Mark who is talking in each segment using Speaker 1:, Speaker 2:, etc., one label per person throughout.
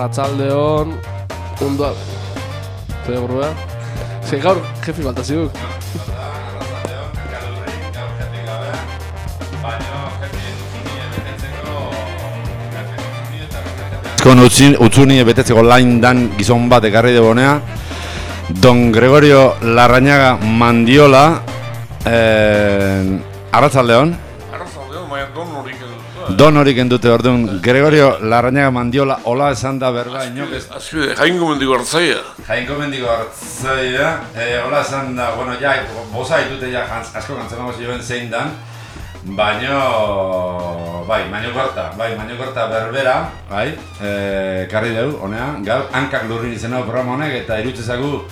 Speaker 1: Arratsaldeon, ondo... Zer burua? Ze gaur, jefi faltazio.
Speaker 2: Utzuni betetzeko lain dan gizon bat ekarri debonea, Don Gregorio Larrañaga Mandiola, Arratsaldeon.
Speaker 3: Arratsaldeon, baina
Speaker 2: Don horik endute orduan, Gregorio Larrañaga Mandiola, hola esan da berba inok ez...
Speaker 3: Azpide, Jainko Mendiko Hartzaia.
Speaker 2: Jainko Mendiko Hartzaia, hola esan da, bueno, ja, bosa ditute ja asko kantzemago zioen zein dan, baina, Mañokorta berbera, karri deu, honea, gaur, hankak lurrin izan hau programa honek, eta irutzezagu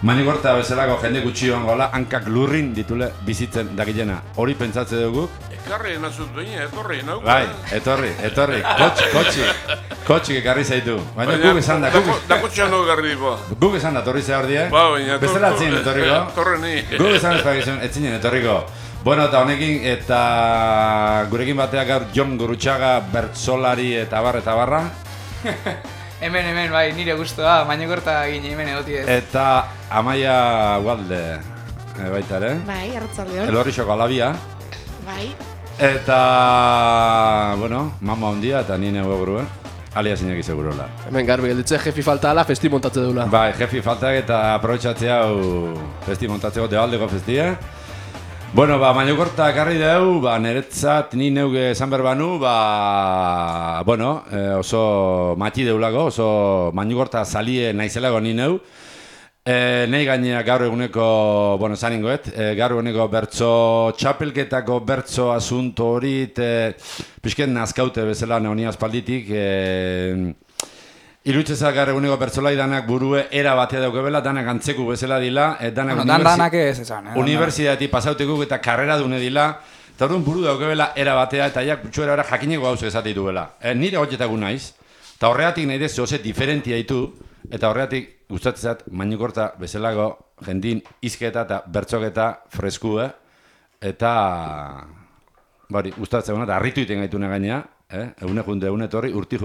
Speaker 2: Mañokorta bezalako jende gutxioan gola, hankak lurrin ditule bizitzen dakilena. Hori pentsatze dugu.
Speaker 3: Ekarri enazut duena, etorri nauk.
Speaker 2: Bai, etorri, kotxik ekarri zaitu. Baina guk esan da,
Speaker 3: Dakotxean dugu ekarri dipoa.
Speaker 2: Guk esan da, torri ze hor die.
Speaker 3: Ba, baina,
Speaker 2: bezala etzinen etorriko.
Speaker 3: Torre ni.
Speaker 2: Guk esan ez bakizun, etzinen etorriko. Bueno, eta honekin, eta gurekin bateak gaur Jon Gurutxaga, bertsolari eta barra.
Speaker 4: Hemen, bai, nire guztua, Mañokorta gine hemen egoti ez.
Speaker 2: Eta Amaia Ugalde, baita ere.
Speaker 5: Bai, Arratsaldeon.
Speaker 2: Elorrixoko alabia.
Speaker 5: Bai.
Speaker 2: Eta, bueno, mama ondia eta nire goguruen. Alia zineki segurola.
Speaker 1: Hemen garbi gelditze jefi falta ala, festi montatze dula.
Speaker 2: Bai, jefi faltak eta aprobetxatzea festi montatzeko debaldeko festia. Bueno, Mañokorta ekarri deu, niretzat ni neuge esan berbanu, bueno, oso mati deulako, oso Mañokorta salie naizelago ni neu. Nei gainea gaur eguneko, bueno, zaningoet, gaur eguneko bertso txapelketako bertso asunto hori, pixken nazkaute bezala neonia aspalditik, irutzezak gaur eguneko bertsolai danak burue era batea daukebela, danak antzeku bezala dila,
Speaker 4: danak ez esan.
Speaker 2: Universidati pasautekuk eta karrera dune dila, eta orduan buru daukebela era batea, eta jak txuera era jakineko gauz esatik duela. Nire hotxetagun naiz, eta horregatik nahi dezu oze diferentia ditu, eta horregatik gustatzezat Mañokorta bezalago jendin izketa eta bertxoketa freskue, eta gustatzen eta harritu iten gaitune gainea, egune junde, egune torri, urti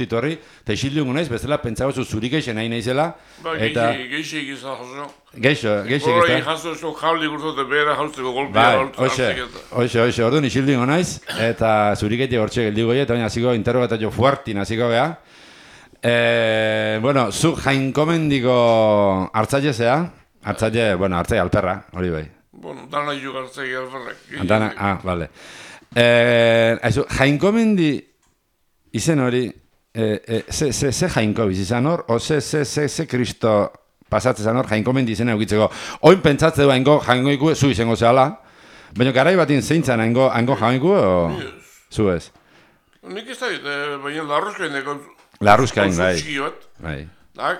Speaker 2: torri, eta isildu naiz, bezala pentsagozu zurik eixen nahi naizela.
Speaker 3: Geixe egizan jaso.
Speaker 2: Geixe egizan.
Speaker 3: Horri jaso esok jabli gurtote behera jausteko golpea.
Speaker 2: Hoxe, orduan isildu naiz, eta zurik eitek hortxe geldigo goi, eta baina hasiko interrogatio fuartin hasiko geha. Bueno, zu Jainko Mendiko hartzailezea, hartzaile alperra, hori bai.
Speaker 3: Bueno, dana juk hartzaile alperrak.
Speaker 2: Vale. Jainko Mendi izen hori, ze Jainko bizizan hor, o ze Kristo pasatzezan hor Jainko Mendi izena eukitzeko. Oin pentsatze du Jainko zu izango zehala, baina garai batin zeintzan hango Jainko o zu ez?
Speaker 3: Nik ez da, baina larruzkaineko
Speaker 2: Larruzkain, bai.
Speaker 3: Dak,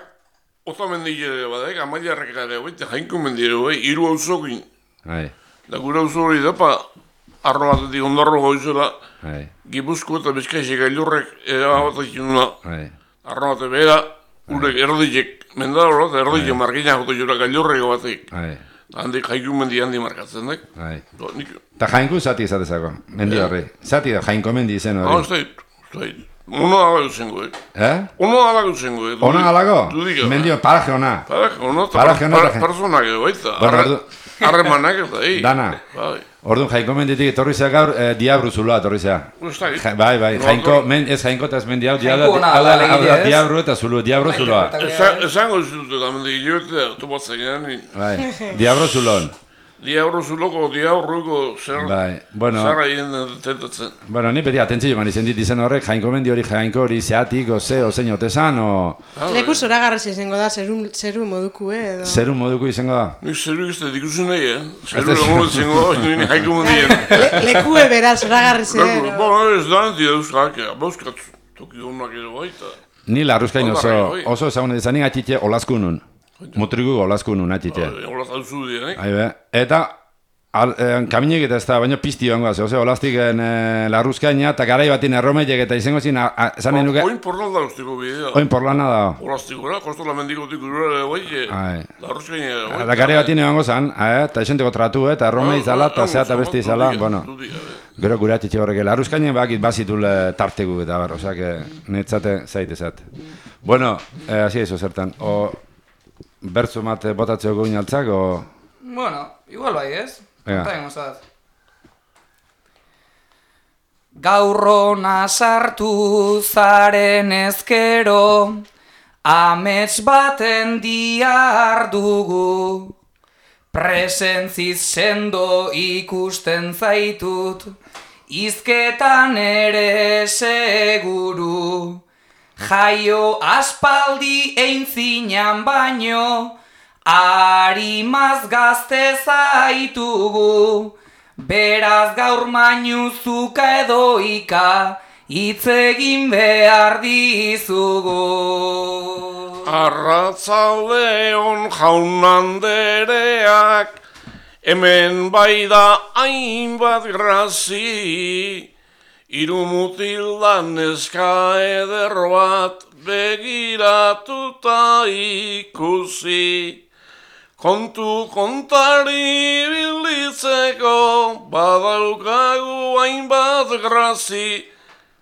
Speaker 3: Ota Mendile badek, Amaliarrek ere, Jainko Mendile, hiru auzokin.
Speaker 2: Bai.
Speaker 3: Da gure auzo hori da, arro batetik ondarro goizela, Gipuzko eta Bizkaixek gailurrek erabatak inuna. Arro bate behera, urek erditek mendaro, eta erditek margina jota jura gailurreko batek. Handik Jainko Mendi handi markatzen dek.
Speaker 2: Eta Jainko zati izatezako, Mendi horri. Zati da Jainko Mendi izen hori.
Speaker 3: Ez da, Ono alago zengo, Ono alago zengo,
Speaker 2: Ono alago? Mendio, paraje ona.
Speaker 3: Paraje ona, personak edo, baita. Arremanak eta,
Speaker 2: Dana. Orduan, Jainko Menditik etorri zea gaur, Diabru zuloa etorri zea. Bai, ez Jainko eta ez Mendi hau, Diabru eta zulo, Diabru zuloa.
Speaker 3: Esango zute da, Mendi gilioetea, topatzen gani.
Speaker 2: Diabru zulon.
Speaker 3: Diabru zuloko, diabruko zara hien tentatzen.
Speaker 2: Bueno, ni beti atentzio man izan dit izan horrek, Jainko Mendi hori, Jainko hori zeatik, ozein otezan,
Speaker 5: Leku zoragarrez izango da, zeru moduku, edo?
Speaker 2: Zeru moduku izango da?
Speaker 3: Nik zeru ez da dikusen nahi, Zeru lagun izango da, nire Jainko Mendien.
Speaker 5: Leku ebera, zoragarrez edo?
Speaker 3: Ez da, nire euskak, bauzkat, toki honak edo baita.
Speaker 2: Ni larruzkain oso ezagun edo zanik atxitxe olazkunun. Mutrigu olazkunun atxitxe.
Speaker 3: Olaz hau zu dira,
Speaker 2: Eta Kaminek eta ez da, baina pizti joango az, olaztiken larruzkaina, eta garai batin erromeiek eta izango zin, zanen nuke...
Speaker 3: Oin porlanda ustiko bidea.
Speaker 2: Oin porlana da.
Speaker 3: Olaztikora, kostola mendikotik urura larruzkaina.
Speaker 2: Eta garai batin joango zan, eta esenteko tratu, eta erromei izala, eta zea eta beste izala, bueno... Gero gure atxetxe horrek, larruzkainen bakit bazitul tartegu eta bar, osak, netzate zaitezat. Bueno, hasi ezo zertan, bertzu mate botatzeo goin altzak,
Speaker 4: Bueno, igual bai ez, konta egozat. Gaurrona sartu zaren ezkero, amets baten diar dugu. Presentziz sendo ikusten zaitut, izketan ere seguru. Jaio aspaldi eintzinan baino, harimaz gazte zaitugu. Beraz gaur mainuzuka edo ika, hitz egin behar dizugu.
Speaker 3: Arratzaldeon jaunandereak, hemen bai da hainbat grazi, hiru mutilda neska eder bat begiratuta ikusi. Kontu kontari bilditzeko, badaukagu hainbat grazi,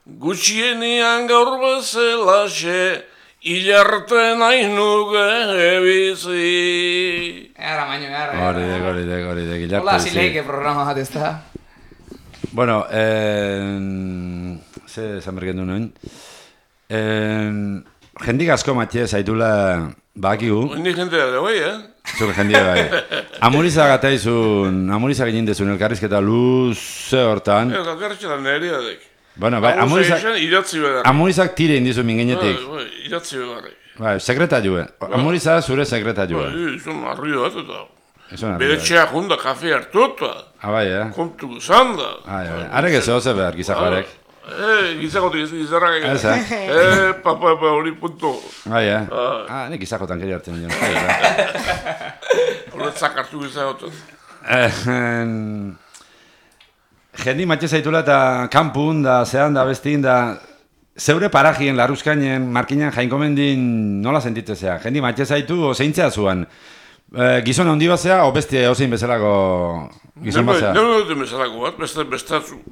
Speaker 3: gutxienean gaur bezalaxe, hilarte nahi nuke bizi.
Speaker 4: Era maño, era.
Speaker 2: Horidek, hilarte.
Speaker 4: Hola, zileike programa bat ez da.
Speaker 2: Bueno, ze esan bergendu nuen. Jendik asko matxe zaitula bakigu.
Speaker 3: Hendi jendea da bai,
Speaker 2: Zuke jendia bai. Amurizak ataizun, amurizak egin dezun elkarrizketa luze hortan.
Speaker 3: Elkarrizketa nerea dek.
Speaker 2: Bueno, bai, amurizak tire indizu mingenetik.
Speaker 3: Iratzi begarrik.
Speaker 2: Bai, sekretariue. Amurizak zure sekretariue.
Speaker 3: Bai, izan arrio bat eta. Bere txea junda kafe hartuta.
Speaker 2: Bai,
Speaker 3: Kontu zanda.
Speaker 2: Arek ez oze behar, gizakoarek.
Speaker 3: Gizakotik gizarrak egin. Papa, hori punto.
Speaker 2: Bai, nik gizakotan keri hartzen nion.
Speaker 3: Horretzak hartu gizakotan.
Speaker 2: Jendi matxe zaitula eta kanpun da, zehan da, bestin da, zeure parajien, larruzkainen, markinan jainkomendin nola sentitzea? Jendi matxe zaitu, zeintzea zuan? Gizon handi bat zea, o bestia ozein bezalako gizon bat zea?
Speaker 3: Neu duten bezalako bat,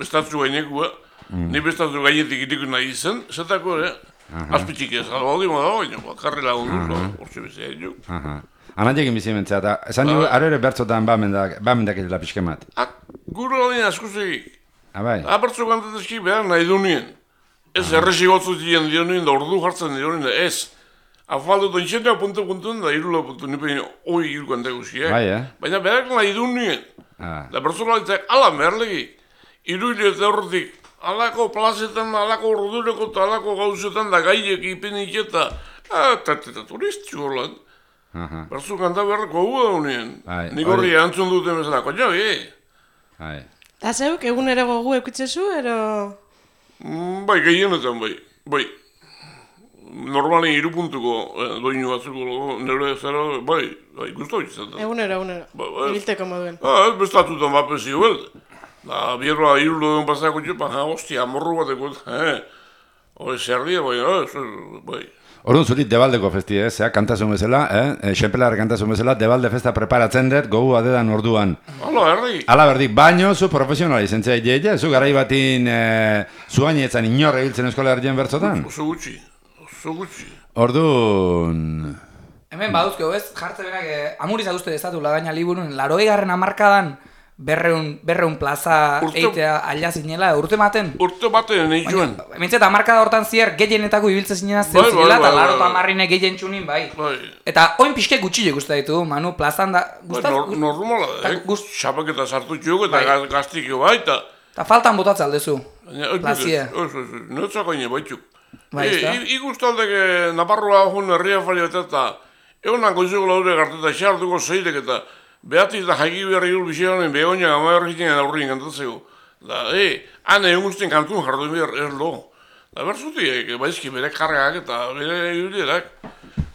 Speaker 3: bestatzu gainekua, ni bestatzu gainetik itiko nahi izan, zetako, azpitxik ez, albaldi moda baina, karri lagundu, hortxe bezea egin.
Speaker 2: Anantiekin bizi mentzea, eta esan dugu, aro ere bertzotan bamendak edela pixke mat.
Speaker 3: Guru aldin askuzegik.
Speaker 2: Bai.
Speaker 3: Bertzo kantatezki behar nahi du nien. Ez erresi gotzu ziren dio nien, da ordu jartzen dio nien, ez. Afaldu dontxetea puntu da irula puntu, nipein hoi irukante guztiak. Baina behar nahi du nien. Da bertzo galitzak ala merlegik. Iruile eta horretik, alako plazetan, alako ordureko eta alako gauzetan da gaiek ipenik eta turistxu horlan. Bertzo kanta beharreko gu da nien. Nik horri antzun duten bezala, koño,
Speaker 5: Eta zeuk, egunero gogu eukitzezu, ero...
Speaker 3: Bai, gehienetan, bai. Normalen 3 puntuko doinu batzuko nire zera, bai, guztu izan da.
Speaker 5: Egunero, ibilteko moduen.
Speaker 3: Bestatutan bapesi huel. Da, bierroa irulo duen pasako txupa, hostia, morru bateko, hori zerdia, bai.
Speaker 2: Orduan zurit Debaldeko festi, kantazun bezala, xenpelarra kantazun bezala, Debalde festa preparatzen dut, gogu adedan orduan. Ala berdik, baino zu profesionala izentzea ideia, zu garai batin zu gainetan inorre biltzen eskola erdien bertzotan?
Speaker 3: Oso gutxi.
Speaker 2: Orduan...
Speaker 4: Hemen baduzkeo ez, jartze berak, amuriz aguzte dezatu lagaina liburun, 80. hamarkadan, berreun plaza eitea aila zinela, urte maten?
Speaker 3: Urte maten, nahi joan.
Speaker 4: Mintzeta, hamarkada hortan zier, gehienetako ibiltze zinena zeu zinela, eta 80 gehien txunin, bai. Eta oin pixke gutxile guztai ditu, Manu, plazan da...
Speaker 3: Normala, xapaketa sartu txuk eta gaztikio bai,
Speaker 4: eta faltan botatza aldezu, plazia.
Speaker 3: Neotzak oine baitzuk. Ikustaldek Naparroa hon herria fali eta egunan goizuko laure garteta xartuko zeidek eta behatiz da jaiki berri hul bizianen begonia gama berrizien aurrin kantatzeko. Da, han egun guztien kantun jardu behar erlo. Da, berzutik, baizki bere kargak eta bere ibilierak.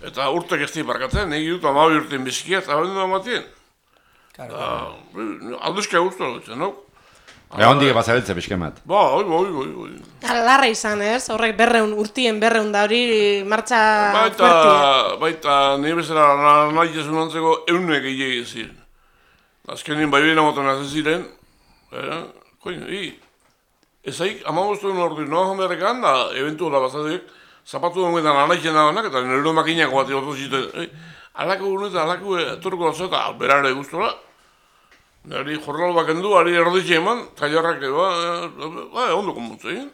Speaker 3: Eta urtek ez di parkatzen, egi dut 12 urtein bizkia eta hori da matien. Alduzka guztua dutzen, no?
Speaker 2: Hondik bazabeltze pixkemat.
Speaker 3: Bai.
Speaker 5: Larra izan, ez? Horrek urtien 200 da hori martxa fuertia.
Speaker 3: Baita, nire bezala nahi esun antzeko eunek egin ziren. Azkenin bai behina motan hazen ziren, ezaik, amabostuen ordu, noa jonberrekan da, eventuala bazadeek, zapatu denguetan anaitzen dagoenak, eta nire makinako bat egotu ziten, alako gunetan, alako etorko dazu eta berare guztora, nire jornal bakendu, ari erditxe eman, tailarrak, ondo konbutzu egin.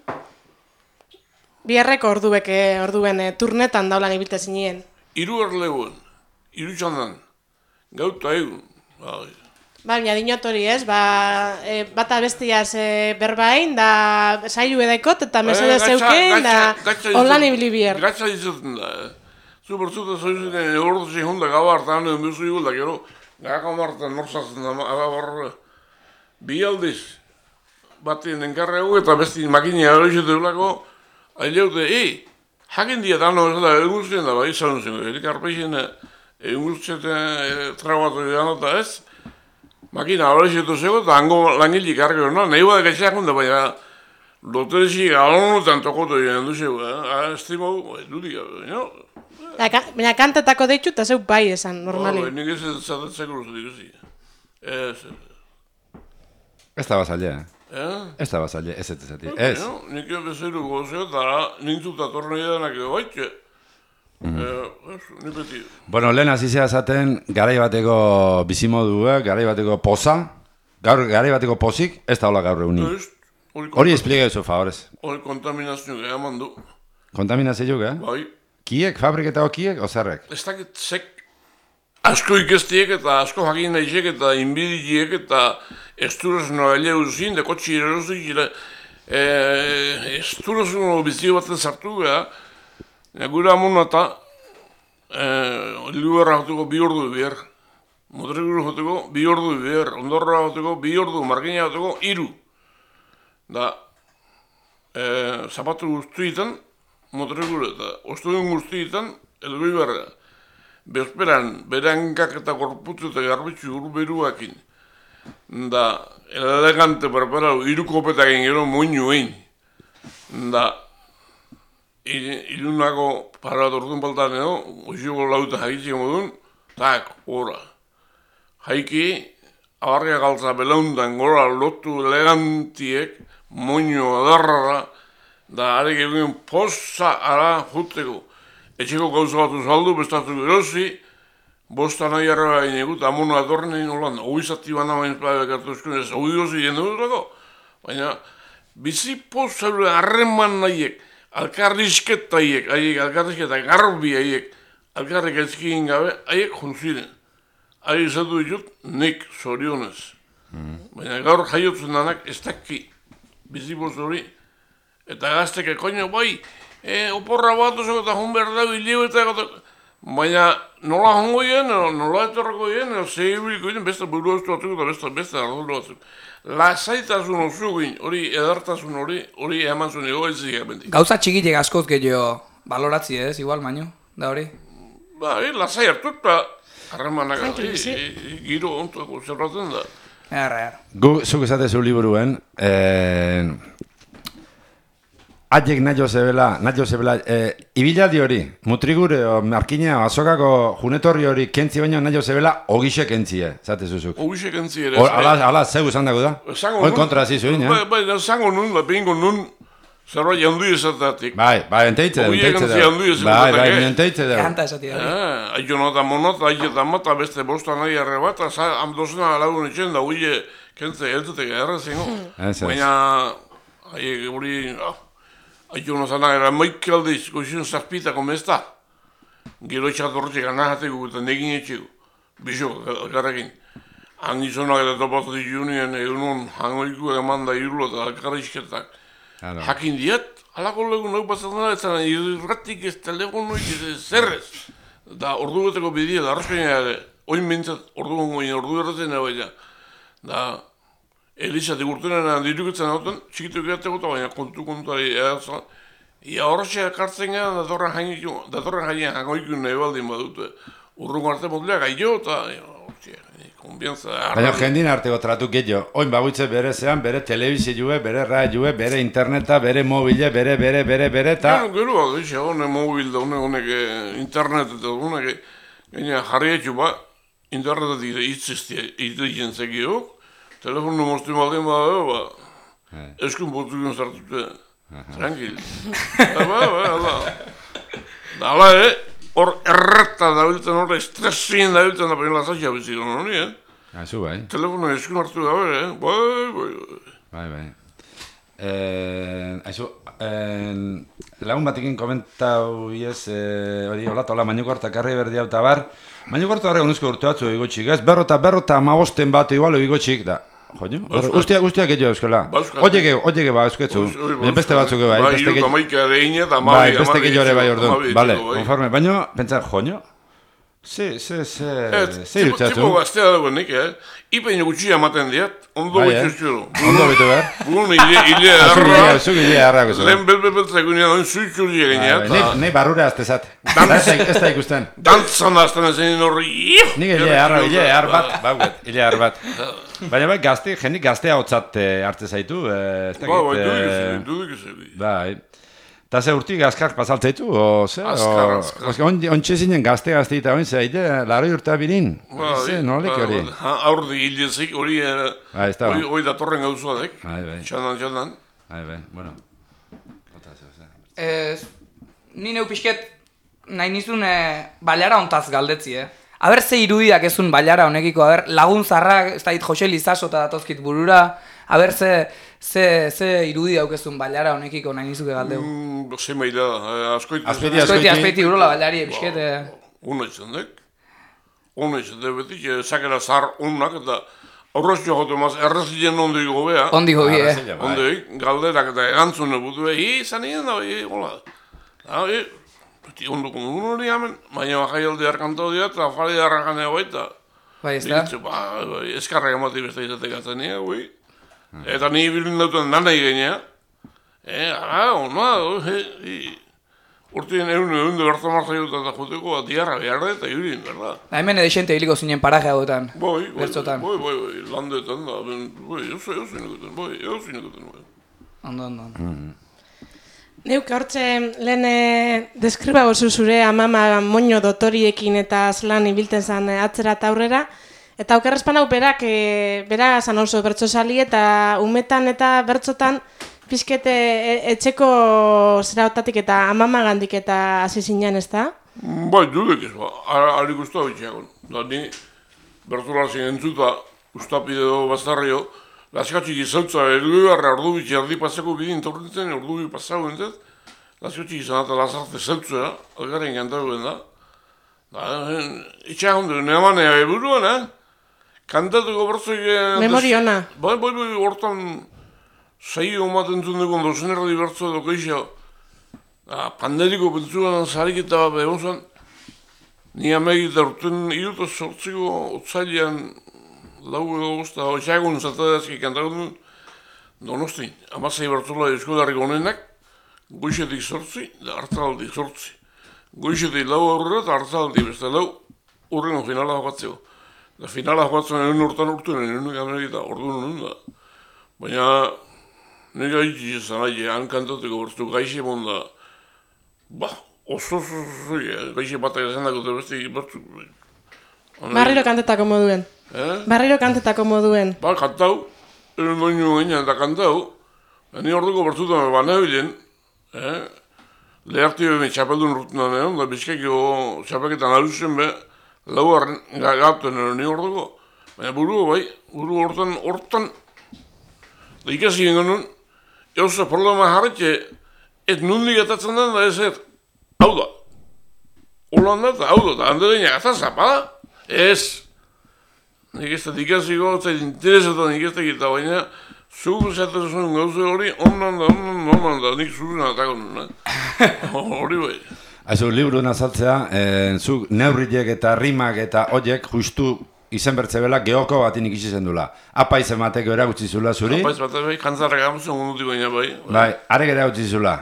Speaker 5: Biharreko orduen turnetan daulan ibilta zinien.
Speaker 3: 3 erleguen, 3 txandan, gauta egun,
Speaker 5: Baina dinot hori ez, bata bestiaz berbain, da sailu edaikot eta mesede zeuken, da holan ibili bier.
Speaker 3: Gatsa dizaten da, zu bertzuta zoizen ordu zehunda gaba hartan edo bezu igul da, gero, gako martan norzazen da, bi aldiz, batien enkarregu eta besti makinia hori zeulako, aileute, jakin dia dano ez da, egultzen da, bai, izan zen, erik arpeixen egultzete trabatu edan eta ez, makina horrezitu zego eta hango langilik argio, nahi bada gaitxeak hunda, baina loterezik alonotan tokotu egin duzegu, estimo, dudik, no?
Speaker 5: Baina kantetako deitxu eta zeu bai esan, normali.
Speaker 3: Nik ez zatetzeko luzu diguzi.
Speaker 2: Ez da bazalea, Ez da bazalea, ez etezatik, ez.
Speaker 3: Nik bezeru gozio eta nintzuta tornei edanak edo baitxe.
Speaker 2: Bueno, lehen azizea zaten garai bateko bizimodua, garai bateko poza, garai bateko pozik, ez da hola gaur egunin. Hori espliega eso, favorez.
Speaker 3: Hori kontaminazio geha mandu.
Speaker 2: Kontaminazio geha?
Speaker 3: Bai.
Speaker 2: Kiek, fabriketako kiek, ozerrek?
Speaker 3: Ez dakit zek asko ikestiek eta asko jakin nahiek eta inbidiek eta esturezno gaile uzin, deko txirerozik, esturezno bizio baten sartu geha, gure amona eta liuerra joteko 2 ordu bier, motreguru joteko 2 ordu bier, ondorra joteko 2 ordu, margina joteko 3. Da, zapatu guztuetan, motreguru eta ostuen guztuetan, elgoi berra. Bezperan, berankak eta gorputzu eta garbitzu urberuakin. Da, elegante preparau, 3 kopetak gero moinu egin. Da, ilunako parat orduan baltan edo, oiziko lauta jaitzeko modun, tak, gora. Jaiki, abarria galtza belauntan gora lotu elegantiek, moño adarrara, da arek egin poza ara juteko. Etxeko gauza batu saldu, bestatu erosi, bosta nahi arreba inegut, amono adorren egin holanda. Oizati bana bain plabek hartu eskun ez, oidozi jendu dutako. Baina, bizi poza harreman nahiek, alkarrizketa haiek, alkarrizketa garbi haiek, alkarrik ezkin gabe, haiek junziren. Haiek izatu ditut, nik zorionez. Baina gaur jaiotzen danak ez daki bizipoz hori. Eta gazteke, koño, bai, oporra bat ozeko eta hon behar da bilio eta baina nola hongo hien, nola etorrako hien, zehibiliko hien, besta buru eztu batzuk eta besta arduro batzuk. Lasaitasun osugin, hori edartasun hori eman zuen ego ezik bendik.
Speaker 4: Gauza txikitek askoz gehiago baloratzi ez, igual, baino, da hori?
Speaker 3: Ba, lasai hartu eta harremanak giro ontuako zerratzen da.
Speaker 2: Zuk esatezu liburuen, Aiek nahi zebela, ibiladi hori, mutrigure, markina, azokako junetorri hori kentzi baino nahi zebela, ogixe kentzie, zate zuzuk.
Speaker 3: Ogixe kentzie ere.
Speaker 2: Ala, zeu esan dago da? Hoi kontra zizu,
Speaker 3: Bai, zango nun, lapingo nun, zerbait jandu ezatatik.
Speaker 2: Bai, enteitze da.
Speaker 3: Ogie kentzi jandu ezatatik.
Speaker 2: Bai, enteitze da.
Speaker 4: Kanta esatik da.
Speaker 3: Aio nota monot, aietan mata, beste bosta nahi arre bat, amdozena lagun etxen da, ogie kentzi eltutek errezingo. Baina, aiek hori... Aio nozana era maik aldiz, goizun zazpitako mezta. Gero etxatorretxek anahateko eta negin etxeko. Bizo, garrakin. Hangizonak eta topatu ditunien egunon hangoiku eman da irlo eta alkarrizketak. Jakin diat, alako legun hau pasatzen da, ezan irratik ez telegon noik zerrez. Da ordu beteko bidia, da arrozkaina ere, oin bintzat ordu gongoin, ordu erratzen baina. Da, Elizatik urtenean diruketzen hauten, txikituk egateko eta baina kontuari erazan. Ia horretxe kartzen gara, datorren jainean hangoikun nahi baldin badute. Urrungo arte motleak aio eta
Speaker 2: Baina jendin arteko tratu gehiago. Oin bagoitze bere zean, bere telebizioe, bere radioe, bere interneta, bere mobile, bere, eta...
Speaker 3: Gero bat, honek mobil da, honek internet eta honek jarrietxu ba, internetetik itzizien zekiok, telefonu moztu baldin bada, eskun botugun zartute, tranquil. Hala, hor erreta dabiltzen, hor estresien dabiltzen da penela zaila bizitzen honi,
Speaker 2: Aizu, bai.
Speaker 3: Telefono eskun hartu gabe,
Speaker 2: Bai. Aizu, lagun batekin komentau iez, hori hola, Mañukorta karri berdi hau bar, Mañukorta horre honuzko urte batzu egotxik, ez? Berrota amagosten bat igual egotxik, da. Joño? Guztiak egio euskela. Oiege ba eusketzu. Beste batzuk bai. Beste egio ere bai orduan. Bale, konforme. Baina, pentsar, joño? Irutzatzen.
Speaker 3: Tipo gaztea dagoen nik, Ipein gutxia ematen diat, ondo bitxuzkero.
Speaker 2: Ondo bitu behar?
Speaker 3: Bun, hile harra.
Speaker 2: Zuk hile harrako zu.
Speaker 3: Lehen belbeltzak unean, oin zuitzuri egineat.
Speaker 2: Nei barrura aztezat. Ez da ikusten.
Speaker 3: Dantzan da azten ezen horri.
Speaker 2: Nik hile har bat, bauet, hile har bat. Baina bai, jendik gaztea hotzat hartze zaitu.
Speaker 3: Dudik ez.
Speaker 2: Bai. Eta ze urtik azkar pasaltzaitu, o ze?
Speaker 3: Azkar.
Speaker 2: Ontxe zinen gazte eta oin zeide, laro urta birin. Ze, nolek hori?
Speaker 3: Aurdi hilezik, hori datorren gauzuadek. Txandan.
Speaker 2: Bai, bueno.
Speaker 4: Ni neu pixket nahi nizun baliara ontaz galdetzi, Aber ze irudiak ezun baliara honekiko, lagun zarrak, ez da hit Jose Lizaso eta datozkit burura, aber ze irudi daukezun baliara honekiko nahi nizuke galdeu.
Speaker 3: Ze maila,
Speaker 4: Azpeiti urola baliari epizket.
Speaker 3: Una izan dek, betik, sakera zahar unak eta aurrezio jote maz, errezien ondik gobea.
Speaker 4: Ondik gobi,
Speaker 3: Ondik, galderak eta egantzune butu izan egin da, hola. Beti ondoko dugun hori hamen, baina bajai alde harkantau dira eta afari harrakan ega baita.
Speaker 4: Bai, ez da?
Speaker 3: Eskarrak emati beste izatek atzen nire, Eta ni bilin dauten nanai genea. Urtien egun de berta marzaiuta eta joteko bat diarra beharra eta irin, berda.
Speaker 4: Hemen edexente hiliko zinen paraje hauetan.
Speaker 3: Boi, landetan da, eusinekuten.
Speaker 4: Ondo.
Speaker 5: Neuk hortxe lehen deskriba gozu zure amama moño dotoriekin eta azlan ibilten zan atzera eta aurrera. Eta aukerrezpan hau bera zan oso bertsozali eta umetan eta bertzotan pizkete etxeko zeraotatik eta amama gandik eta hasi zinen, ez da?
Speaker 3: Bai, dudek ez, harik usta bitxeakon. Da ni bertzolar zinen entzuta ustapide do bazarrio, laskatxik izautza erdugarra ordu bitxe erdi pasako bidin torritzen, ordu bi pasako entzat, laskatxik izan eta lazarte zeltzua, algaren kantaruen da. Itxeakon duen emanea eburuan, kantatuko bertzoik...
Speaker 5: Memori ona.
Speaker 3: Bai, hortan zaio ematen zundekon dozen erdi bertzo edo keixo. Panderiko pentsuan zariketa bat egon zuen, ni amegita urten iruta sortziko otzailean lau edo gozta, itxeakon zatadazki kantakon duen, Donostin, amazai bertzola Euskolarriko honenak, goixetik sortzi, da hartzaldik sortzi. Goixetik lau aurrera eta hartzaldik beste lau, urrengo finala jokatzeko. Da finala jokatzen egin urtan egin amegita, orduan honen da. Baina, nire gaitzi izan aile, han kantateko bertu gaixe monda, oso, gaixe batak esan dagote beste bertu.
Speaker 5: Barriro kantetako moduen. Barriro kantetako moduen.
Speaker 3: Kantau, eren doinu gainean eta kantau, ni orduko bertutan banabilen, leharti behen txapeldun rutunan egon, da bizkaiko txapeketan aluzen be, lauaren gaten eren ni orduko, baina buru hortan, da ikasi genuen, eusa problema jarretxe, ez nundik atatzen den da ez hau da. Holan da, hau da, hande deina gazan zapada, ez. Nik ez da ikasiko, eta interesetan nik ez da gita, baina zuk esaten zuen gauze hori, onan da, nik zuen atako nuen. Hori bai.
Speaker 2: Aizu, liburu nazaltzea, zuk neurriek eta rimak eta hoiek justu izen bertzebela geoko batin ikisi zendula. Apaiz emateko eragutzi zula zuri?
Speaker 3: Apaiz batez bai, kantzarrak amuzen gundutik baina bai.
Speaker 2: Bai, arek eragutzi zula.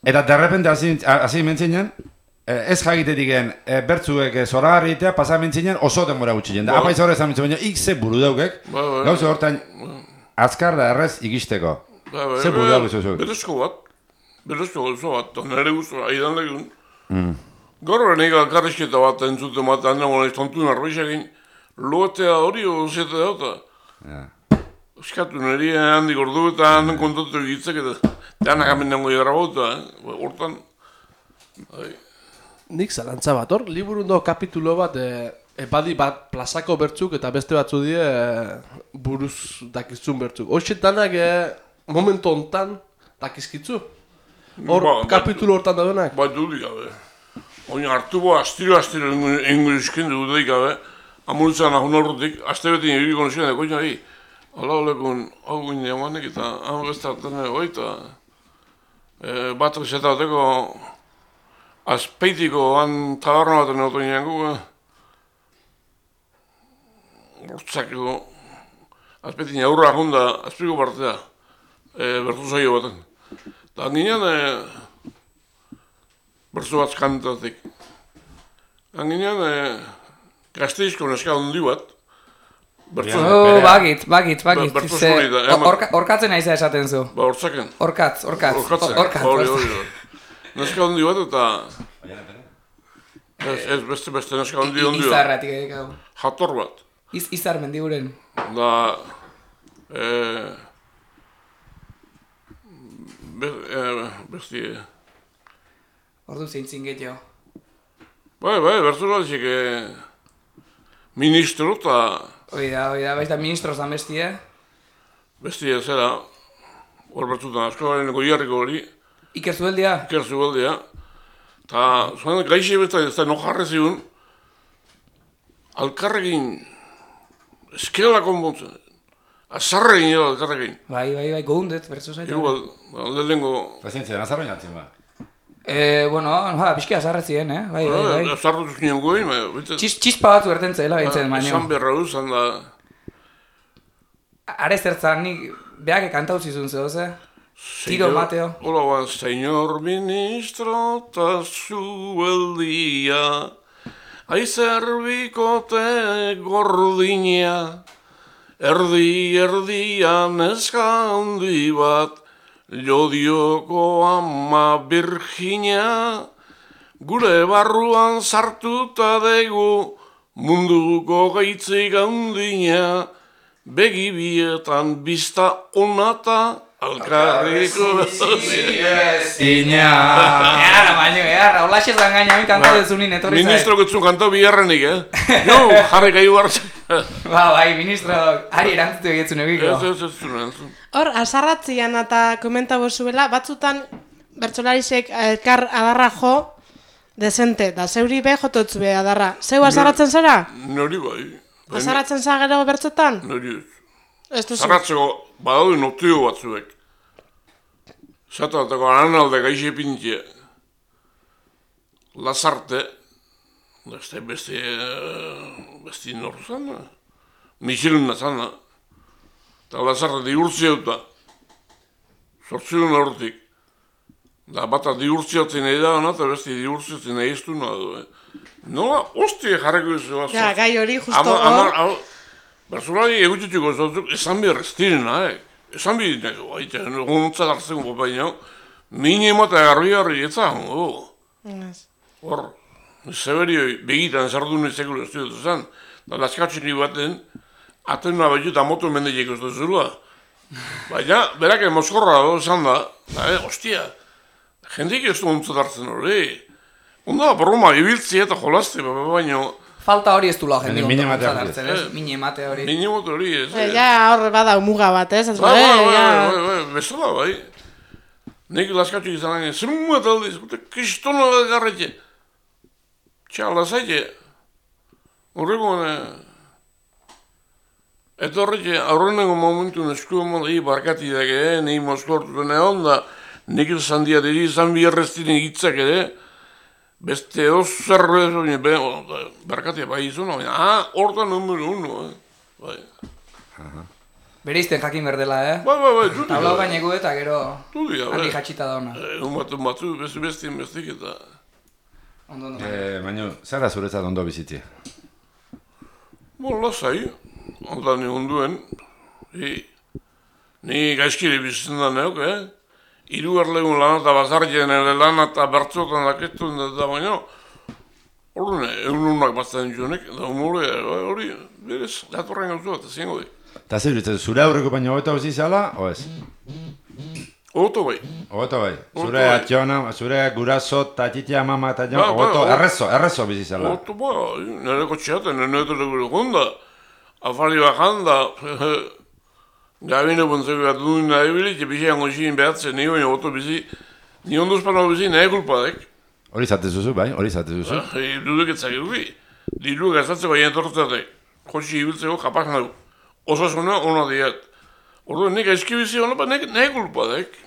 Speaker 2: Eta derrepente hasi mentzinen, ez jakitetik bertzuek zoragarri egitea pasamentzinen oso denbora gutxien. Da, apaiz horrez amintzen baina, ikze buru daukek, gauze hortan azkar da errez ikisteko. Ze buru dauk izuzuk?
Speaker 3: Berezko bat, nire guztu, aidan legun. Gaur benik alkarrizketa bat entzuten bat, handago nahiz tontun arbeizakin, loetea hori ozete dauta. Euskatu niri handik ordu eta handen kontatu egitzek eta denak amendango egarra bauta, hortan.
Speaker 1: Nik zalantza bat, hor, liburundo kapitulo bat, badi bat plazako bertzuk eta beste batzu die buruz dakizun bertzuk. Hoxe danak momentu hontan dakizkitzu? Hor, kapitulo hortan daudenak?
Speaker 3: Ba, dudik gabe. Oin hartu bo, astiro inguruzkin dudik gabe, amuritzen ahun horretik, aste beti nire konusien dago nahi. Hala olekun, hau guen diamanek eta hau beste hartan nahi eta batak zetateko azpeitiko tabarna bat neotu niango, hortzakiko, azpeitin aurra ahunda, azpeiko partea, bertu zaio baten. Eta ginean, bertu bat kantatik. Ginean, Gasteizko neska hundi bat,
Speaker 4: Bagit. Orkatzen aiza esaten zu.
Speaker 3: Ba, hortzaken.
Speaker 4: Orkatz.
Speaker 3: Hori. Neska hundi bat eta... Ez beste neska hundi bat.
Speaker 4: Izarratik edekau.
Speaker 3: Jator bat.
Speaker 4: Izar mendiguren.
Speaker 3: Da... Besti...
Speaker 4: Ordu zeintzin gehiago.
Speaker 3: Bai, bertu bat zik... Ministro eta...
Speaker 4: Oida, baita ministro zan bestie.
Speaker 3: Bestie zera, hor bertutan askoaren goiarriko hori.
Speaker 4: Iker Zubeldia.
Speaker 3: Eta zuen gaixe besta ez da nojarre zigun, alkarrekin eskela konpontzen. Azarrekin edo alkarrekin.
Speaker 4: Bai, gogundet, bertzu zaitu.
Speaker 3: Lehenko...
Speaker 2: Pazientzia, azarrekin atzen ba.
Speaker 4: Bueno, pixki azarretzien, Bai.
Speaker 3: Azarretuz nien goin,
Speaker 4: Txispa batzu ertentzela, baitzen, baino.
Speaker 3: Esan berra duzan da...
Speaker 4: Are zertzan, nik behake kantau zizun zehoz, Tiro, Mateo.
Speaker 3: Hola, ba, señor ministro ta Zubeldia, aizerbikote gordina, erdian neska handi bat, Lodioko ama Virginia, gure barruan sartuta dugu, munduko gaitzik handina, begibietan bizta onata, alkarriko
Speaker 2: Zina.
Speaker 4: Earra, holaxe zan gaina, mi kanta dezunin etorri zai.
Speaker 3: Ministro getzun kanta biharrenik, Jo, jarri gai bartzen.
Speaker 4: Bai, ministro, ari erantzutu egitzun egiko.
Speaker 3: Ez.
Speaker 5: Hor, azarratzian eta komentabo zuela, batzutan bertsolarisek elkar adarra jo desente, da zeuri be jototzu be adarra. Zeu azarratzen zara?
Speaker 3: Nori bai.
Speaker 5: Azarratzen za gero bertzotan?
Speaker 3: Nori ez.
Speaker 5: Ez duzu.
Speaker 3: Zarratzeko badaude notio batzuek. Zatatako ananalde gaixe pintie. Lazarte, besti norru zana. Michelina zana. Eta Lazarte diurtziauta. Zortziun horretik. Da bata diurtziatzen nahi da eta besti diurtziatzen nahi ez du nahi. Nola, ostie jarreko ez.
Speaker 5: Ja, gai hori justo hor.
Speaker 3: Bertzulari egutxutiko zotzuk esan behar ez direna, Esan behar nego, honuntza dartzen gopaino, mini emata garbi etzan, Hor, zeberioi begitan zardun ezekulu ez dut zen, da laskatzen baten, atena behiut amotu mendeiek ez dut zula. Baina, berak mozkorra esan da, ostia, jendik ez du honuntza dartzen hori. Onda, broma, ibiltzi eta jolazte, baino,
Speaker 4: Falta hori ez du lau jendik
Speaker 2: Mini
Speaker 4: ondo hartzen, Mini emate hori.
Speaker 3: Mini emate hori, ez.
Speaker 5: Ja, hor bada umuga bat, ez?
Speaker 3: Bai, bezala, bai. Nik laskatxuk izan nahi, zer muet aldiz, kristona garretxe. Txala zaite. Horreko, eta horretxe, aurreneko momentu nesku emon, barkati dake, nahi mozkortu egon da, nik izan diateri izan biherreztin egitzak ere, beste zer berkatia bai izuna, hortan numero 1,
Speaker 4: Bereizten jakin berdela,
Speaker 3: Bai, dudik.
Speaker 4: Tablau gaineko eta gero
Speaker 3: Dudik,
Speaker 4: handi jatxita da ona.
Speaker 3: Batzu, bestik eta...
Speaker 4: Ondo.
Speaker 2: Baina, zer da zuretzat ondo bizitzia?
Speaker 3: Lasai, ondan onduen. Ni gaizkiri bizitzen da neuk, Hirugarlegun lan eta bazarien ere lan eta bertzotan daketu da baina, hori egununak bazten jonek, da hori, berez, datorren gauzu bat, zingo di.
Speaker 2: Eta zer ditzen, zure aurreko baina hobeto bizitzala, o ez?
Speaker 3: Oto bai.
Speaker 2: Hobeto bai. Zure atxona, zure guraso, tatxitia, mama eta jo, hobeto, errezo bizitzala.
Speaker 3: Oto bai, nire kotxeaten, nire gure gonda, afari bakanda, Gabine buntzeko bat duen nahi bilik, bizian goxin behatzen, ni baina oto bizi, ni onduzpano bizi nahi kulpadek.
Speaker 2: Hori zatezuzu, bai, hori zatezuzu.
Speaker 3: Duduk etzakiruki, diru gazatzeko haien tortzatek, kotxi ibiltzeko kapaz nahi. Osasuna ona diat. Ordu, nik aizki bizi hona, nahi kulpadek.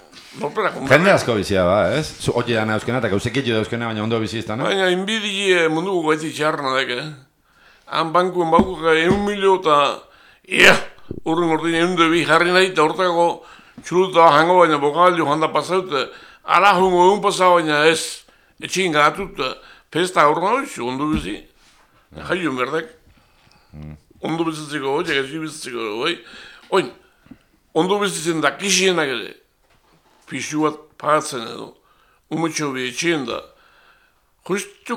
Speaker 2: Jende asko bizia ba, ez? Hoti dana euskena eta gauzekitio da euskena, baina ondo bizi iztan,
Speaker 3: Baina, inbidi munduko gaiti txarna dek, Han bankuen bakuka 1 milio eta, Urren ordin egun bi jarri nahi eta hortako txuluta hango baina bokalio handa pasaute ala hungo egun pasa baina ez etxin gatut pesta horna hoizu, ondo bizi jaiun berdek ondo bizitzeko hoi, egezi bizitzeko hoi oin, ondo bizitzen da kisienak ere pixu bat pagatzen edo umetxo bi etxien da justu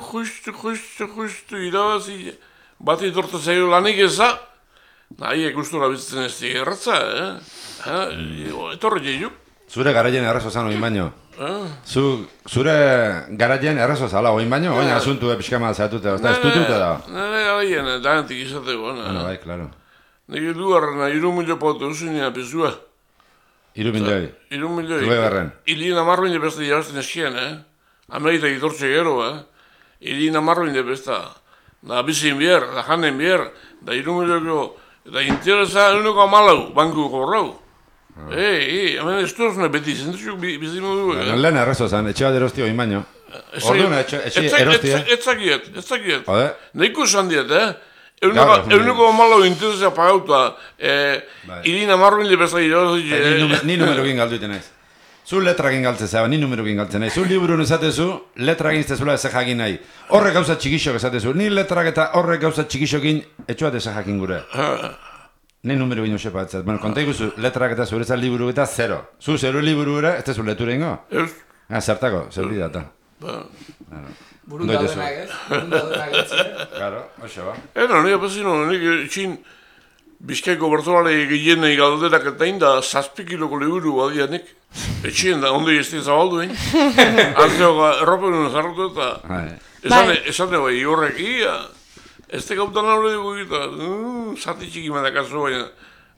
Speaker 3: irabazi bat itorta zailo lanik eza Nahi, gustura bizitzen ez digerratza, etorri jeiuk.
Speaker 2: Zure garaien errezo zan oin baino. Zure garaien errezo zala oin baino, oin asuntu pixkama zehatute, ez dutute da.
Speaker 3: Nire garaien, dagantik izateko.
Speaker 2: Bai, klaro.
Speaker 3: Nik dugarrena, 3 milio pauta usunia pizua.
Speaker 2: 3 milioi?
Speaker 3: 3 milioi.
Speaker 2: Zue garren?
Speaker 3: Ilina marroin beste jabazten eskien, Amerita gitortxe gero, Ilina marroin besta. Da bizin bier, da janen bier, da 3 milio Eta interesa eguneko 14 banku gorrau. Hemen ez duzune beti zentzuk bizimu du.
Speaker 2: Lehen errezo zan, etxe bat erosti oin baino. Orduan etxe erosti,
Speaker 3: Ez zakiet.
Speaker 2: Hode?
Speaker 3: Neiko esan diet, Eguneko 14 interesa pagauta. Irina marroin lebeza irabazi.
Speaker 2: Ni numerokin galduiten naiz. Zu letrakin galtzen zaba, ni numerokin galtzen nahi. Zu liburun esatezu, letrakin iztezula ez jakin nahi. Horrek gauza txikixok esatezu. Ni letrak eta horrek gauza txikixokin etxuat ez jakin gure. Ni numerokin usepa etzat. Bueno, konta ikuzu, letrak eta zuretzat liburu eta 0. Zu 0 liburu ere, ez tezu leture ingo?
Speaker 3: Ez.
Speaker 2: Zertako, zer hori data.
Speaker 4: Burun daudenak ez? Burun daudenak ez?
Speaker 2: Claro, hoxe ba.
Speaker 3: Nire apazino, nire etxin Bizkaiko bertolare gehienei galderak eta inda 7 kiloko liburu badianik. Etxien da, ondo izti zabaldu, Arteoga erropen jarratu eta esate bai, horrek, ez te gautan aurre dugu egita, zati txiki madakazu baina,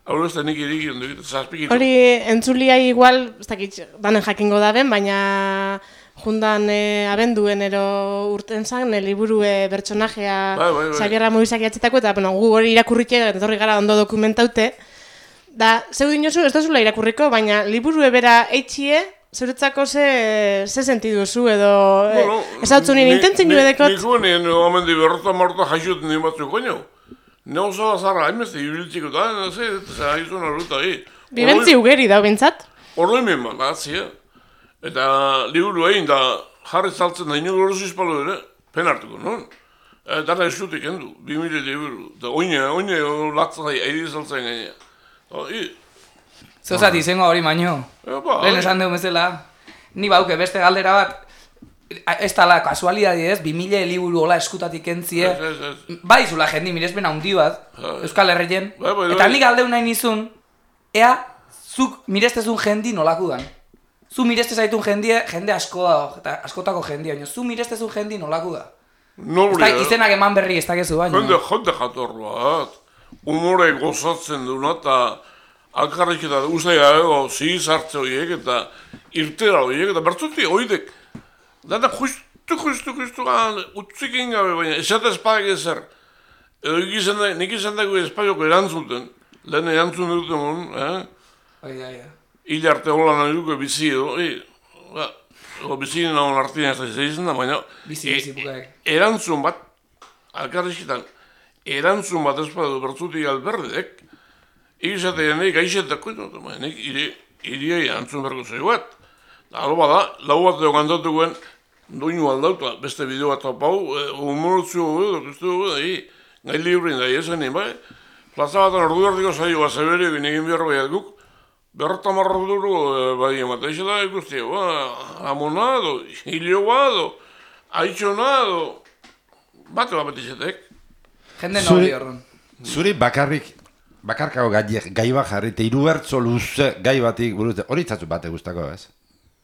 Speaker 3: aurre ez da nik edik egin dugu, 7 kiloko.
Speaker 5: Hori entzuliai igual, ez dakit, danen jakingo daben, baina jundan abenduen ero urten zan, liburu bertsonajea Xabier Amorizak jatzetako, eta gu hori irakurritxe, eta horri gara ondo dokumentaute. Da, zeu dinozu, ez da zula irakurriko, baina liburu bera eitxie, zeuretzako ze sentidu zu, edo ez hau zunien intentzen jo edekot?
Speaker 3: Nik guen, omendi berrota marrota jaixot nien batzuk koño. Neu zaba zarra, hainbeste ibiltziko, eta haizun arruta,
Speaker 5: Bibentzi ugeri da, bintzat?
Speaker 3: Horroi menban, atzia. Eta liburu egin, da jarri zaltzen da ino gorozu izpalo ere, pen hartuko, non? Dara eskutik endu, 2000 liburu. Eta oine latzai, airi zaltzen gainea.
Speaker 4: Zeuzat izango hori baino. Lehen esan dugu bezala. Ni bauke beste galdera bat, ez tala kasualidadi ez, 2000 liburu hola eskutatik entzie. Bai zula jendi mirespen handi bat, Euskal Herrien. Eta nik aldeu nahi nizun, ea, zuk mirestezun jendi nolako dan. Zu mirestezaitun jende asko da, eta askotako jendia, baina zu mirestezun jendi nolako da. Izenak eman berri ez dakezu baino.
Speaker 3: Jende jator bat. Humore gozatzen duna eta alkarrik eta usai gago zigiz hartze horiek eta irtera horiek eta bertzuti horiek. Data justu utzik egin gabe baina esate espadak ezer. Edo nik izan dago espaioko erantzuten, lehen erantzun duten mun, hil arte hola nahi duke bizi edo, bizi nagoen artien ez da izan da, baina erantzun bat, alkarrizketan, erantzun bat ezpadu bertzutik alberdek, egizatean nik aixetako, nik iriai erantzun berko zego bat. Alo bada, lau bat edo kantatu guen, doinu aldauta, beste bideo bat apau, humorotzu gai librin da, esan bai, plaza batan ordu erdiko saioa zeberio egin behar baiat guk, berrota marroduru bai emate, eixo da ikusti, amonado, hilioado, aitzonado, bate bat izetek.
Speaker 4: Jende nobli horren.
Speaker 2: Zuri bakarkako gai bat jarri, eta irubertzo luze gai batik buruz, hori itzatzu bate guztako, ez?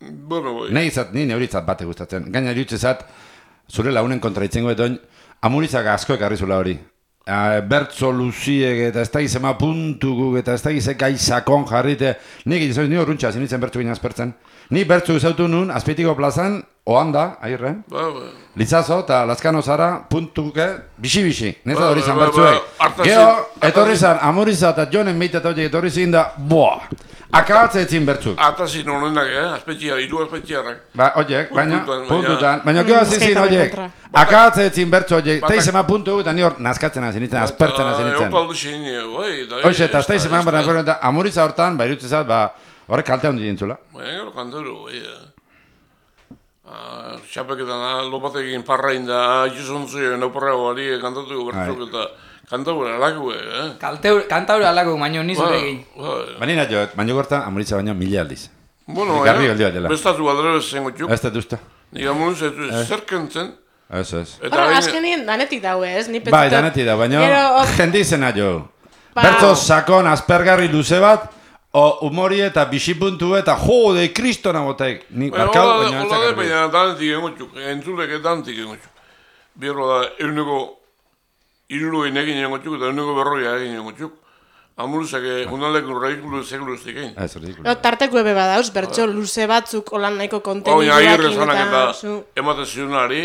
Speaker 3: Bueno, bai.
Speaker 2: Ni hori itzat bate gustatzen. Gaina irutzezat, zure launen kontra itzengo eton, amurizak asko ekarri zula hori. Bertzo luziek eta ez da gizema puntukuk eta ez da gizek gai sakon jarrite. Nik izauz, ni horruntxa zinitzen bertzu gina azpertzen. Ni bertzu izautu nun, azpeitiko plazan, oanda, airre. Litzazo eta Lazkano zara, puntuke, bixi. Neza hori zan bertzuek. Geo, etorri zan, amuriza eta jonen meite eta horiek etorri zin da, akabatze etzin bertzuk.
Speaker 3: Atazin honenak, azpetxia, hiru azpetxiarrak.
Speaker 2: Oiek, baina, puntutan. Baina gero azizin horiek, akabatze etzin bertzu horiek, teizema puntu eta ni hor nazkatzen hasi nintzen, azpertzen hasi nintzen.
Speaker 3: Eopaldu xin, bai.
Speaker 2: Hoxe, eta teizema eta amuriza hortan, irutzezat, horrek kalte handi dintzula.
Speaker 3: Baina gero kantero, bai. Txapeketan, lopatekin parrain da, jizontzu, nauparrago ari, kantatuko bertzuk eta kantaura alakue,
Speaker 4: Kantaura alakue, baina nizure egin.
Speaker 2: Baina joet, baina gorta, amuritza baina 1000 aldiz.
Speaker 3: Bueno, bestatu aldera zengo txuk.
Speaker 2: Ez dut usta.
Speaker 3: Nik amuritza zerkentzen.
Speaker 2: Ez.
Speaker 5: Azkenien danetik daue, ez?
Speaker 2: Bai, danetik daue, baina jendizena jo. Bertzo sakon, aspergarri luze bat, humori eta bisipuntu eta jode, kristona botek.
Speaker 3: Baina danetik gengo txuk, entzulek danetik gengo txuk. Bierro da, euneko iruruen egin gengo txuk eta euneko berroia egin gengo txuk. Amurizak jundaleko radikulu sekulu ez dikein.
Speaker 5: Tarteko ebe badauz, bertso luze batzuk olan nahiko konteniduak
Speaker 3: eta ematen zionari,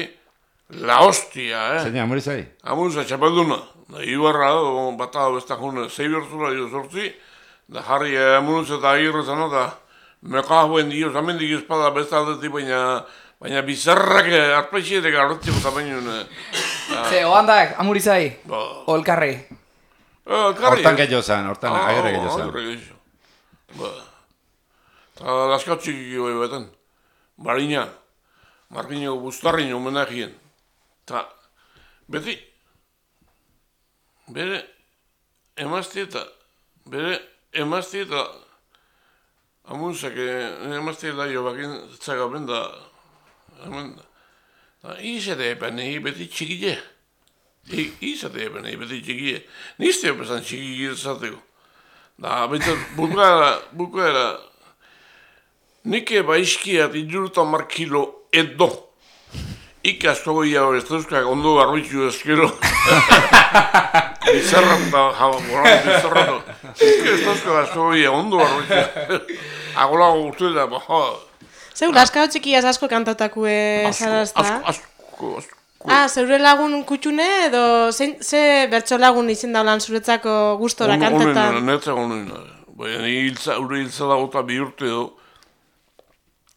Speaker 3: la hostia,
Speaker 2: Zeina, amurizai?
Speaker 3: Amurizak txapelduna. Ibarra, bata besta june, 6 bertzula, 18, da jarri amurizak eta agirre zan, eta mekahuen dio, zamendik espada besta aldetik, baina bizarrak arpexietek arretziko zapenun.
Speaker 2: Ze,
Speaker 4: oandak, amurizai, olkarri.
Speaker 2: Hortan gehiago zan, hortan agirre gehiago zan.
Speaker 3: Agirre gehiago. Eta laskautxik goi beten. Barina, Markineko Bustarrin homenagien. Eta beti, bere emazti eta amunzak emazti eta jo bakin zagaben da izate epen beti txikile. Izate eben, beti txikie. Nizte opesan txiki izateko. Da, betzat, bukaera, nike baizkiat 30 kilo edo. Ika asko goia hori, ez dauzkak ondo garroitzu ezkero. Bizarrata, bizarrata. Ez dauzkak asko goia ondo garroitzu. Agolago guztu da,
Speaker 5: Zeu, laskao txikiaz asko kantatakue zarazta?
Speaker 3: Asko.
Speaker 5: Zeure lagun kutxune edo ze bertso lagun izen daulan zuretzako gustora kantetan?
Speaker 3: Netzako honen. Baina ure hiltza dago eta 2 urte edo.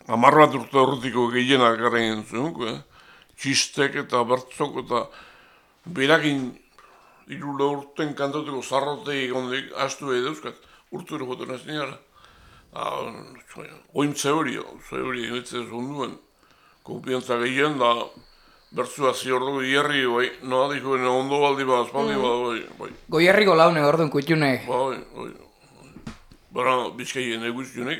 Speaker 3: 10 bat urte horretiko gehienak garen zuen. Txistek eta bertzok eta berakin 3 urten kantatuko zarroteik ondik astu edauzkat. Urtu ere joten ez nire. Oin zehorio egitzen zunduen. Konfiantza gehien da bertzua ziordu hierri, bai, noa dikoen ondo baldi bat, espaldi bat, bai.
Speaker 4: Goierriko laune orduan kutxunek.
Speaker 3: Bai. Bara, bizkaien eguztunek,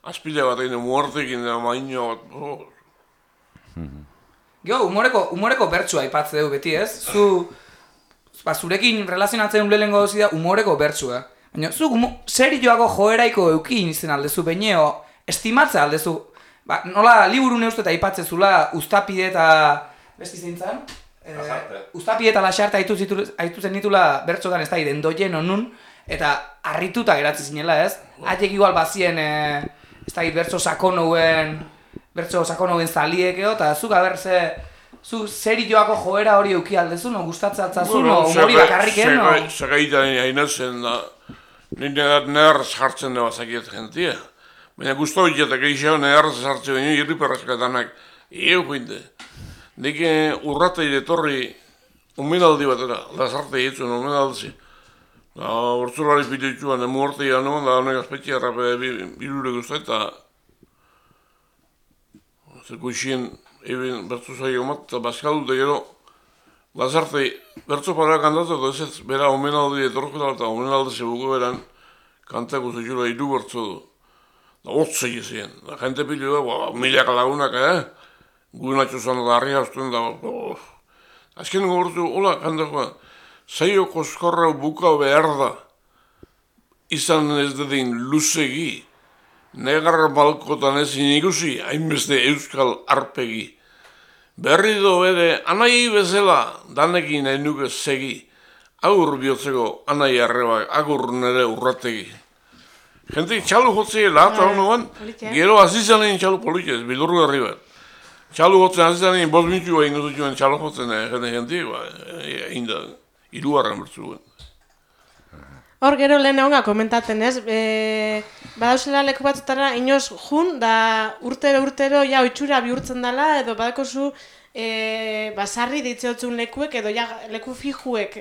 Speaker 3: azpila bat egin muartekin da maino bat,
Speaker 4: Gio, humoreko bertsua aipatze dugu beti, ez? Zurekin relazionatzen ulelengo dozi da humoreko bertsua. Baina, zu serioago joeraiko eukin izan aldezu, baineo, estimatza aldezu. Nola, liburu neuste eta aipatze zula, Uztapide eta... Besti zeintzan? Uztapide eta Lasarte aitu zen ditula bertzotan ez da, endoien onun, eta harrituta geratzi zinela, ez? Haiek igual bazien, ez da, bertzo sakonouen zaliekeo, eta zuk abertze... Zu serioako joera hori euki aldezu, no? Gustatzatzen, no? Humori bakarriken, no?
Speaker 3: Zagaitan hainatzen da, nire nerz jartzen da bazakiet gentia. Baina guztu horiek eixeo nerz jartzen baino irriperrazkatanak. Joinde. Nik urrata iretorri umenaldi batera, lazarte hitzuen umenaldi. Hortzulari pitutxuan emuorte janoan, da honek azpetxia errape birure guztu eta zerko isien egin bertzu zaio mat, eta bazkaldute gero, Lazarte, bertzo para kantatu, eta ez bera omenaldi etorketa, eta omenaldi zebuko beran, kantako zutxura iru bertzo du. Da hotzei ezien, da jente pilu da, milaka lagunak, Guinatxo zan da harri hauztuen da, azken gogortu, hola, kantakoa, zaio koskorra buka behar da, izan ez dedin luzegi, negar balkotan ezin ikusi, hainbeste euskal arpegi. Berri do bere, anai bezala, danekin nahi nuke segi, agur bihotzeko anai arreba, agur nere urrategi. Gente txalu jotzea eta honoan, gero azizanein txalu politez, bildurru garri bat. Txalu jotzen azizanein, 5 minutu egin duzuen txalu jotzen, gente, egin da, irugarren bertzuen.
Speaker 5: Hor gero lehen egonga komentaten ez, badauzela leku batzutara inoz jun, da urtero ja oitxura bihurtzen dela, edo badakozu basarri ditzeotzun lekuek, edo ja leku fijuek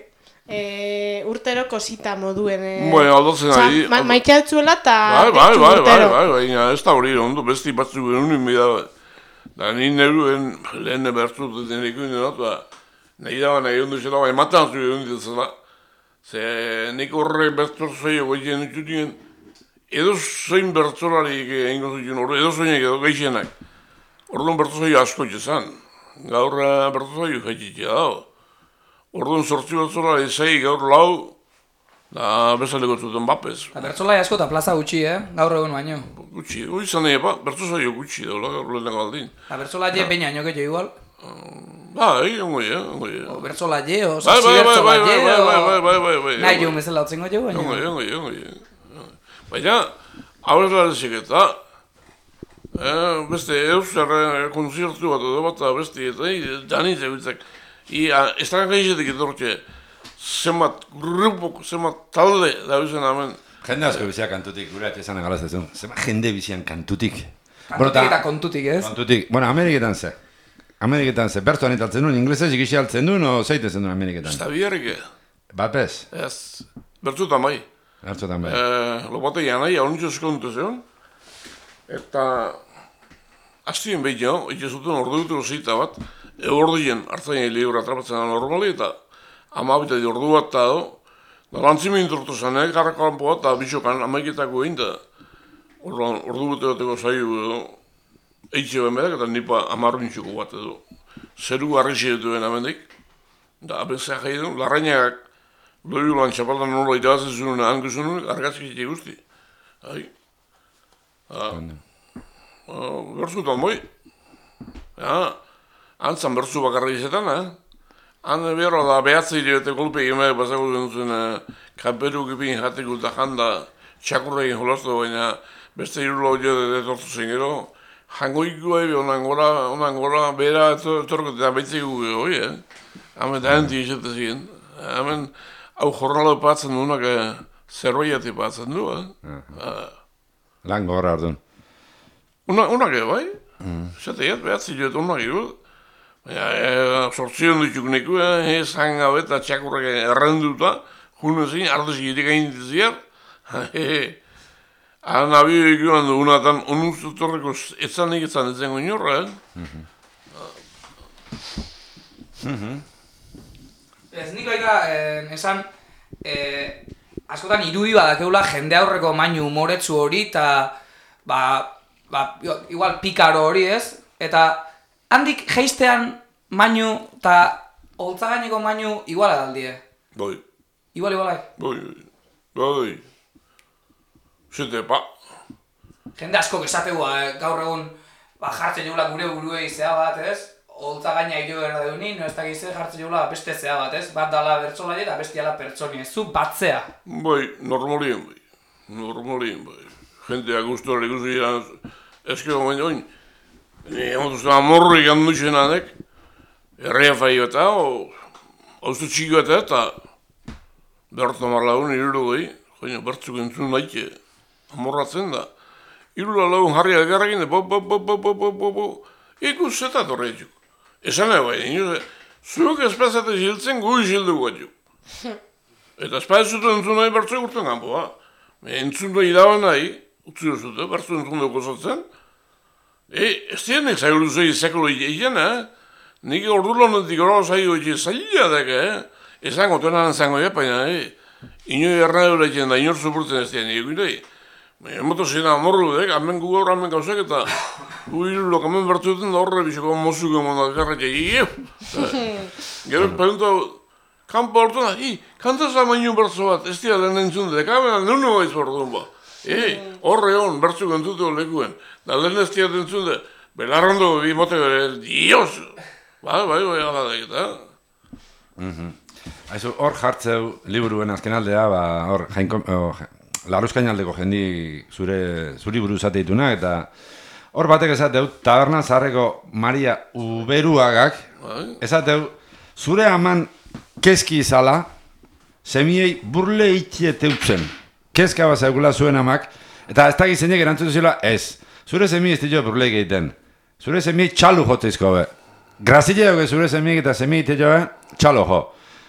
Speaker 5: urtero kosita moduen.
Speaker 3: Bueno, aldatzen ari.
Speaker 5: Maitea dutzuela eta
Speaker 3: Bai, ez da hori ondo, besti batzuk genuen bida. Da ni neruen lehen bertzut denekin dut, nahi da nahi ondo zela, bai, matan zu egon ditzela. Ze nik horre bertzorzaio goitien ditutien, edo zein bertzolarik egingo zuten horre, edo zeinek edo geixenak. Orduan bertzorzaio asko izan. Gaur bertzorzaio jaititia dago. Orduan 8 bertzolari 6, gaur 4, da bezaleko zuten bapez.
Speaker 4: Bertzolai asko eta plaza gutxi, gaur egun baino.
Speaker 3: Gutxi, hori izan epa, bertzorzaio gutxi daula gaur lehenak aldin.
Speaker 4: Bertzolai baina ino gehiago igual.
Speaker 3: Ongo
Speaker 4: Bertzola je, o sasi bertzola je,
Speaker 3: bai.
Speaker 4: Nahi jo bezala otzengo jo, baina.
Speaker 3: Ongo. Baina, aurrela deziketa, beste euskar konzertu bat edo bat, beste, eta daniz egitzak. Ez da gaizetik etortxe, zenbat grupok, zenbat talde da bizan hemen.
Speaker 2: Jende asko biziak kantutik, gure atizan egalaztezun. Zenbat jende bizian kantutik.
Speaker 4: Kantutik eta kontutik, ez?
Speaker 2: Kontutik. Bueno, Ameriketan ze, bertuan italtzen duen, inglesez ikisi altzen duen, o zeitezen duen Ameriketan?
Speaker 3: Ez da biharrik.
Speaker 2: Bat bez?
Speaker 3: Ez, bertzutan bai.
Speaker 2: Bertzutan bai.
Speaker 3: Lopate janai, hauntxo eskontu zeon. Eta, hastien behin jo, ikizuten ordu dutero zita bat, ordien hartzain libra atrapatzen da normali, eta amabita di ordu bat da do, da lantzimin tortu zanek, garrako lanpo bat, eta bitxokan amaiketako egin da, ordu dutero zaiu edo, eitxe ben bedak eta nipa 10 nintxuko bat edo. Zeru arrexi dituen amendik. Da abezak jai du, larrainakak doi ulan txapaldan nola itabazen zuen angizun, argazki zite guzti. Bertzutan boi. Antzan bertzu bakarra izetan, Han behar da behatzi direte golpe egimek pasako duen kamperu gipin jateko eta janda txakurra egin jolaztu, baina beste irula hori detortu zen gero. Jangoikua ebe onan gora bera etorko eta betzeko hori, Hemen da henti izate ziren. Hemen hau jornalo patzen duenak zerbaiati patzen du,
Speaker 2: Lan gogorra orduan.
Speaker 3: Unak bai? Zate jat behatzi joet unak egin. Baina, sortzion dituk neku, zan gabe eta txakurrak errenduta, junezin, ardezik itik egin diziar. Nabio egin du, unatan, unuztu torreko etzanik etzan etzen inorra,
Speaker 4: Ez nik baita, esan, askotan irudi badakeula jende aurreko mainu umoretsu hori, eta, igual pikaro hori ez, eta handik jeistean mainu eta holtzagaineko mainu iguala daldie.
Speaker 3: Bai.
Speaker 4: Igualai.
Speaker 3: Bai. Zete,
Speaker 4: Jende asko esategua, gaur egun jartzen jola gure buruei zea bat, ez? Holtzagaina hilo erda dunin, ez da gizte jartzen jola beste zea bat, ez? Bat dala bertzolaia eta bestiala pertsoni, ez zu batzea.
Speaker 3: Bai, normalien bai. Jentea guztora ikusi jiran, ezkero baina oin. Emotuzten amorrik handu zenanek, errea fai eta, hauztu txiki eta bertu marlagun iruro goi, joina bertzuk entzun daike, amorratzen da. Irula lagun jarri algarrakin, ikus zeta torretxuk. Esan nahi bai, zuek espazate ziltzen gui zildu guatxuk. Eta espazatu entzun nahi bertzuk urten kanpoa. Entzun da idaban nahi, utzi duzute, bertzu entzun dugu zatzen, Ez dienek zaiguru zei zekolo egin, nik ordulonetik gora zaigo egin zaila deke, ezango tenan zango baina, inoi ernadeura egin da inor supurtzen ez dien egin, Emoto zena amorru, hemen gu gaur hemen gauzak eta gu irulok hemen bertu duten da horre biziko mozuko emona garratik. Gero pregunta, kanpo hortu da, kantazla mainu bertzo bat, ez dira lehen entzun dut, kabena nunu gaiz bordun ba. Horre hon, bertzu gentute lekuen, da lehen ez dira entzun dut, belarrondo bi mote bere, dios! Bai, ala da eta.
Speaker 2: Aizu, hor jartzeu liburuen azken aldea, hor Larruzkainaldeko jendi zuri buruz ateitunak, eta hor batek esateu, taberna zaharreko Maria Uberuagak, esateu, zure aman kezki izala, semiei burle itxieteutzen. Kezka bat zaukula zuen amak, eta ez dakit zeinek erantzutu zila, ez. Zure semiei ez ditu burleik egiten. Zure semiei txalu joteizko be. Grazile dugu zure semiei eta semiei teio txalo jo.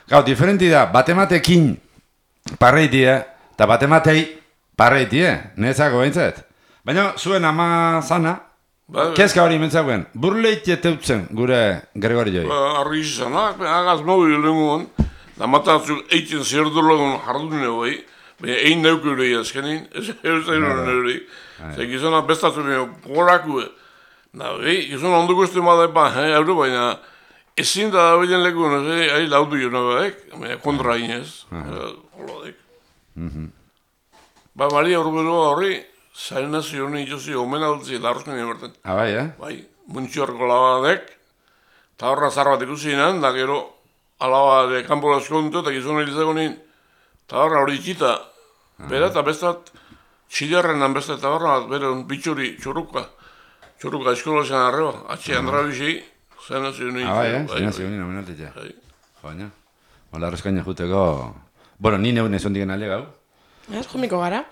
Speaker 2: Gau, diferenti da, batematekin parreitie, eta batematei parreitie, nezako behintzat. Baina zuen ama zana, kezka hori mentzagoen, burleite teutzen gure Gregorioi.
Speaker 3: Argi izanak, agaz mobi lenguan, da matatzuk eitzen zerdurlagun jardun egoi, baina egin neukirei azkenin, ez egin neurei. Zer gizona bestatu behar gorakue. Gizona onduko ez demada euro, baina ezin da dabilen lekuen, ari laudu jonagoek, baina kontra inez, holodek. Maria Urberoa horri, zaren nazio honi itozi omen aldutzi Larruzkain eberten.
Speaker 2: Bai,
Speaker 3: Bai, muntxorko labadek, eta horra zar bat ikusinan, da gero alaba de kanpo laskontu, eta gizona hilizako nien, eta horra hori itxita, bera eta bestat, txilarrenan bestat, eta horra bera un bitxuri, txurruka eskola zen arreba, atxe Andra Bixi, zaren nazio honi.
Speaker 2: Zaren nazio honi omen altetxe. Baina, Larruzkain juteko... Bueno, ni neun ez ondigen alde gau.
Speaker 5: Ez, jomiko gara.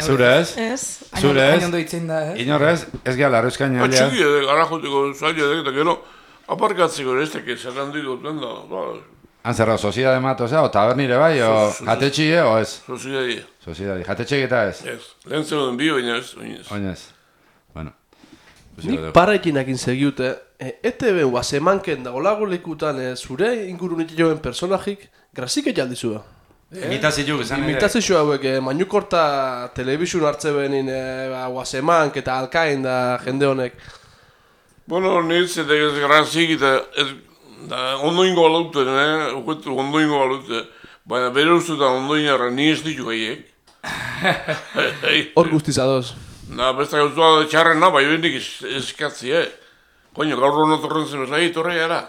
Speaker 2: Zure ez?
Speaker 5: Ez.
Speaker 2: Zure ez?
Speaker 4: Ainondo itzen da,
Speaker 2: Inor ez? Ez geha Larruzkain aldea?
Speaker 3: Atxiki edo, gara juteko zaila edo, eta gero, aparkatzeko ez teke, zerran ditu den da.
Speaker 2: Han zerra, soziedade mato, o tabernire bai, o jatetxie, o ez?
Speaker 3: Soziedade.
Speaker 2: Soziedade, jatetxie eta ez?
Speaker 3: Ez, lehen zeuden bi, baina ez,
Speaker 2: oinez. Bueno.
Speaker 1: Nik parraikinakin segiute, ETV guazemanken dago lago lekutan zure ingurunitik joen personajik, grazik ejaldizua.
Speaker 2: Imitazio izan ere.
Speaker 1: Imitazio hauek, Mañukorta telebisun hartze benin guazemank eta alkain da jende honek.
Speaker 3: Bueno, nintz eta ez grazik eta ondoingo balauten, ondoingo balauten, baina bere ustutan ondoinarra ni ez ditu gaiek.
Speaker 1: Hor guztiz adoz.
Speaker 3: Besta gauzua txarrena, bai bendik eskatzi, Koño, gaur hona torren zen bezala, torre gara.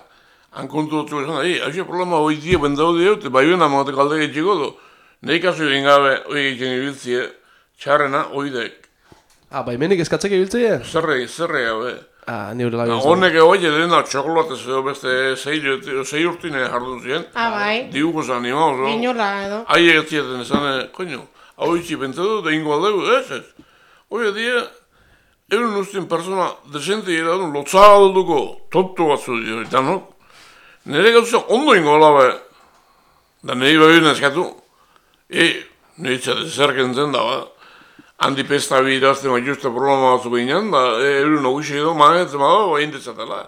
Speaker 3: Han kontu dutzu bezala, hauxe problema hoi die bendaude eute, bai bena matek alde getxiko du. Nei kasu egin gabe, hoi egiten ibiltzie, txarrena, hoi dek.
Speaker 1: Bai menik eskatzek ibiltzea?
Speaker 3: Zerre hau,
Speaker 1: Ni hori lagin.
Speaker 3: Honek egoi edena txokolatez edo beste 6 urtine jardun ziren.
Speaker 5: Bai.
Speaker 3: Dibuko zan animauz, no?
Speaker 5: Inola edo.
Speaker 3: Ahi egatzieten esan, koño, hau itxi pentsatu, da ingo aldegu, ez. Hoi edia, euren ustien persona desente gira duen, lotzalduko, toptu batzu dio, eta no? Nere gauza ondo ingo alabe, da nahi behar eskatu, nahi txate zerken zen da, handi pesta birazte maituzte problema batzu behinan, da euren ogixi edo manetzen bada, bain detzatela.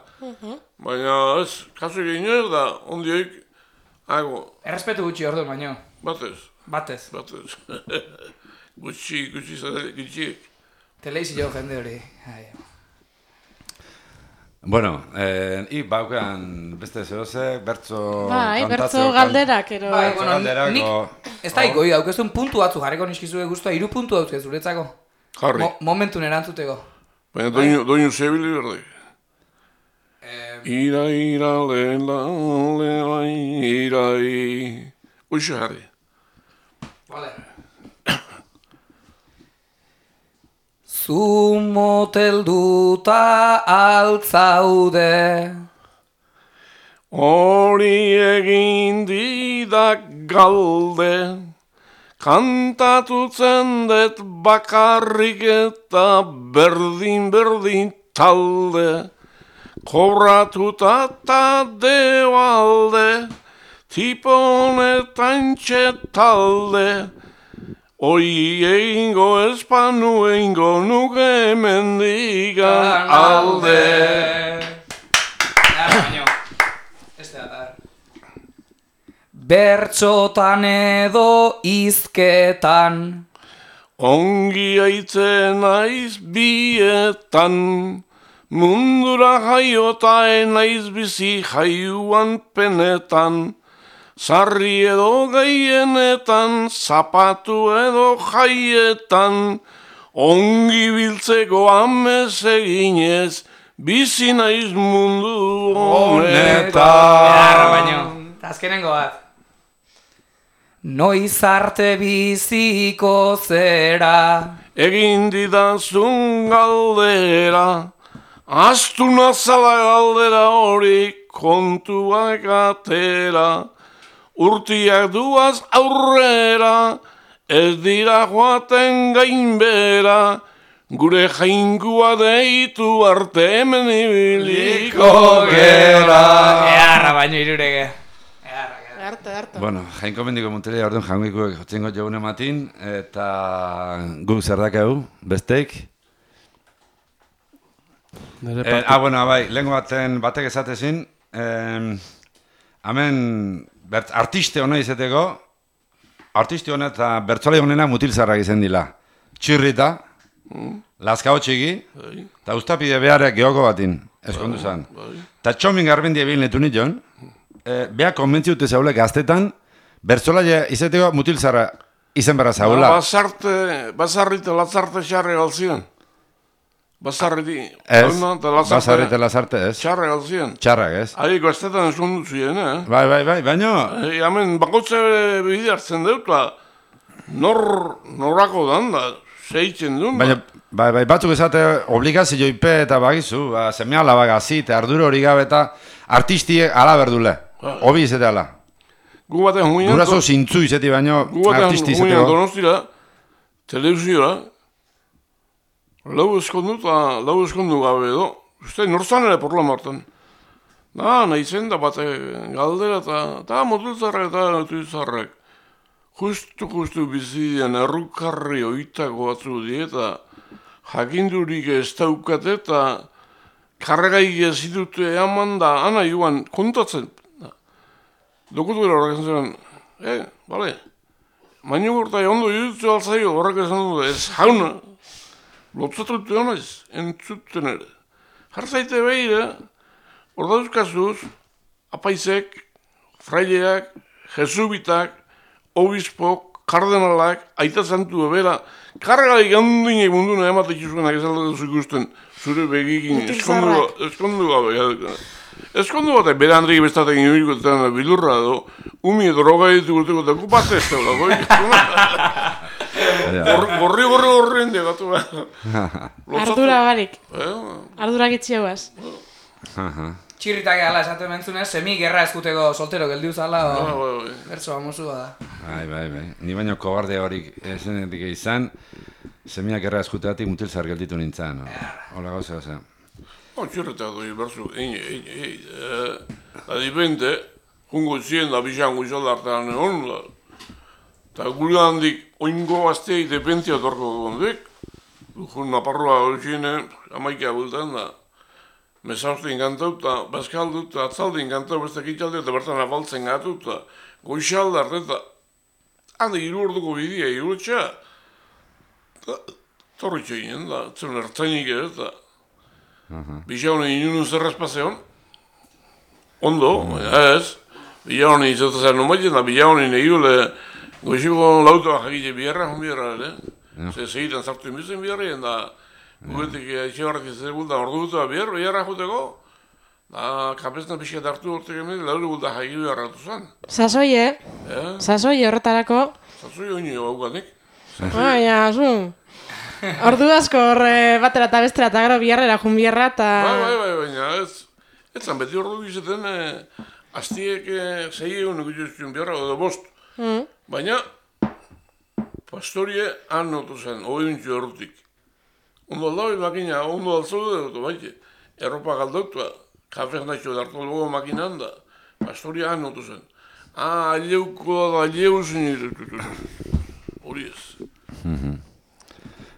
Speaker 3: Baina ez, kasu egin ez da, ondioik, hago.
Speaker 4: Errespetu gutxi ordu, baino.
Speaker 3: Batez. Gutxi.
Speaker 4: Teleizi jo jende hori.
Speaker 2: Bueno, baukean beste zehose, bertzo
Speaker 5: Bai, bertzo galderak, ero.
Speaker 4: Bai, bueno, nik ez da ikoi, daukezun puntu batzu jarriko niskizue guztua, 3 puntu dauzke zuretzako.
Speaker 3: Jarri.
Speaker 4: Momentun erantzuteko.
Speaker 3: Baina doinu zebili berde. Ira, irai. Uixo jarri.
Speaker 4: Vale. Zu motelduta altzaude,
Speaker 3: hori egin didak galde, kantatutzen dut bakarrik eta berdin talde, kobratuta eta debalde, tipo honetan txetalde, Hoi egingo espanu egingo nuke mendigan alde.
Speaker 4: Bertxotan edo izketan,
Speaker 3: ongi aitzen naiz bietan, mundura jaiota naiz bizi jaiuan penetan, sarri edo gaienetan, zapatu edo jaietan, ongi biltzeko amez eginez, bizi naiz mundu honetan.
Speaker 4: Azkenengo bat. Noiz arte biziko zera,
Speaker 3: egin didazun galdera, astuna zala galdera hori kontuak atera, urtiak duaz aurrera, ez dira joaten gainbera, gure jaingua deitu arte hemen ibiliko gera.
Speaker 4: Earra baino irurege.
Speaker 5: Harto.
Speaker 2: Bueno, jainko mendiko muntelea orduan jangoikuek jotzengo jogun ematin, eta guk zer dakegu, besteik. Bueno, bai, lehenko batek esatezin, hemen artiste hona izeteko, artiste hona eta bertzolai honena mutilzarrak izen dila. Txirrita, lazkao txiki, eta ustapide beharek geoko batin, eskondu zan. Eta txomin garbendie bilin letu nition, beha konbentziute zaule gaztetan, bertzolaia izeteko mutilzarra izen berra zaula.
Speaker 3: Basarrite lazarte xarre galzien. Basarrite
Speaker 2: lazarte ez.
Speaker 3: Xarre galzien.
Speaker 2: Txarrak ez.
Speaker 3: Ahi, gaztetan eskondu zuen,
Speaker 2: Bai, baino.
Speaker 3: Hemen bakotze bide hartzen deutla, norako danda, zeitzen duen.
Speaker 2: Bai, batzuk esate obligazio ipe eta bagizu, semea labagazi eta arduro hori gabe eta artistiek ala berdule. Obi izate ala.
Speaker 3: Gu baten huinan...
Speaker 2: Durazo zintzu izati baino artisti izateko.
Speaker 3: Gu baten huinan donostira, televizioa, lau eskondu gabe edo. Uste, norzan ere porla martan. Nahi zen da bate galdera eta motultzarrak eta notultzarrak. Justu bizidean errukarri oitako batzu dieta, jakindurik ez daukate eta karregaik ez ditute eman da, ana joan kontatzen. Dokutu gara horrek zen, bale, maino gortai ondo jutzu altzaio horrek esan dut, ez jauna, lotzatu dute honaiz, entzuten ere. Jartzaite behire, hor dauzkazuz, apaizek, fraileak, jesubitak, obispok, kardenalak, aita zantu ebera, karregaik handinek munduna ematek izuenak ez aldatzen ikusten, zure begikin eskondu gabe. Eskondu bat, bere handrik bestatek inurikoetan bilurra edo, umi droga ditu gurteko eta kupate ez dago. Gorri gatu behar.
Speaker 5: Ardura barik. Ardura gitxiagoaz.
Speaker 4: Txirritak ala esaten mentzunez, semi gerra eskuteko soltero geldiu zala, bertso amosu da.
Speaker 2: Bai. Ni baino kobarde horik esenetik izan, semiak gerra eskuteatik mutilzar gelditu nintzen. Hola gauza, oza.
Speaker 3: Txirritak doi bertzu, adipente, jungo zien da bizango izaldartan egon da. Eta gure handik oingo azteik depentzia torko gondek. Jun naparroa horixinen, amaikea bultan da. Mesauste inkantau eta bazkaldu eta atzalde inkantau beste kitxalde eta bertan afaltzen gatu eta goixaldart eta handi hiru orduko bidea hirutxa. Torritxo ginen da, zen ertzainik ere eta Bilaune inunun zerrazpazeon. Ondo, ez. Bilaune izatzen nomaiten da Bilaune egile goixiko lautoa jakite biherra, ere. Segitan zartu inbizen biherrien da guetik etxebarrak izan ordu gutua biherra juteko. Kapesna pixkat hartu hortek hemen, lauru gulta jakiru harratu zen.
Speaker 5: Sasoi, Sasoi horretarako.
Speaker 3: Sasoi oinio haukanik.
Speaker 5: Baina, zu. Ordu asko horre batera eta bestera eta gero biharrera jun biharra eta...
Speaker 3: Baina ez zan beti ordu gizaten hastiek 6 egun ikutzen biharra edo 5. Baina pastorie han notu zen, oiuntxo errutik. Ondo aldau makina, ondo altzaude dut, baite. Erropa galdautua, kafez naixo dartu logo makinan da. Pastorie han notu zen. Aleuko da, aleu zen hori ez.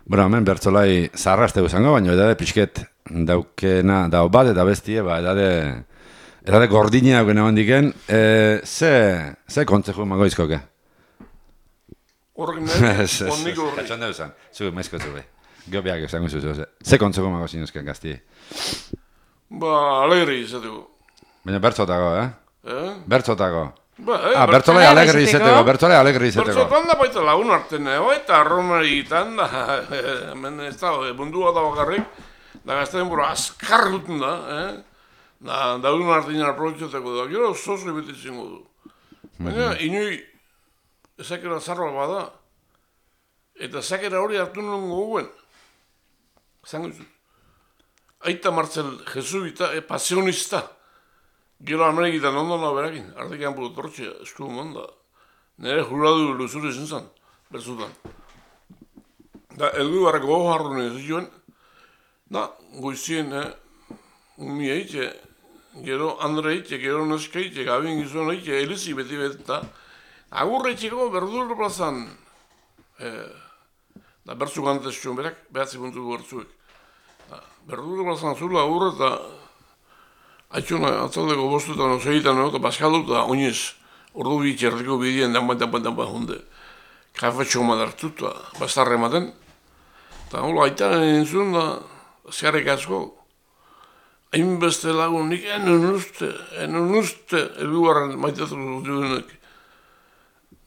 Speaker 2: Bueno, hemen bertzolai zarrastegu zango, baina edade pixket daukena dao bat eta bestie, edade gordina daukena bandiken, ze kontzeju emango izkoke?
Speaker 3: Horrek nahi, onnik horrek.
Speaker 2: Katxon deuzan, zu maizkotu behi. Geobiak esango zuzu, ze kontzeju emango zinuzken gazti?
Speaker 3: Alegri izateko.
Speaker 2: Baina bertzotako, Bertzotako.
Speaker 5: Bertzolai alegri izateko.
Speaker 3: Bertzotan da baita lagun arten, eta arromaritan da, hemen ez da, mundua da bakarrik, da gazte denbora azkar duten da, da daun artean aprobetxateko da, gero zozo ebetitzen du. Baina, inui, ezakera zarroa bada, eta ezakera hori hartu nuen goguen, zango izut. Aita Martzel jesuita, pasionista, gero Amerikitan ondona berakin, artekian burutortxea, esku monda. Nire juradu luzuri izan zen, berzutan. Da, elgu barrako gogo harrune zituen, da, goizien, umi eitxe, gero Andre eitxe, gero neska eitxe, gabin gizuen eitxe, elizi beti da, agurre eitxeko berdur plazan, da, bertzu gantez zuen berak, behatzi puntu bertzuek. Berdur plazan zula agurre eta haitxuna atzaldeko bostuetan osegitan, eta bazkaldu eta oinez, ordu bitxerriko bidien danbat hunde. Kafetxo madartu eta bastarre ematen. Eta hola, aitaren entzun da, zerrek asko. Hainbeste lagun nik enun uste, elguarren maitatu duenek.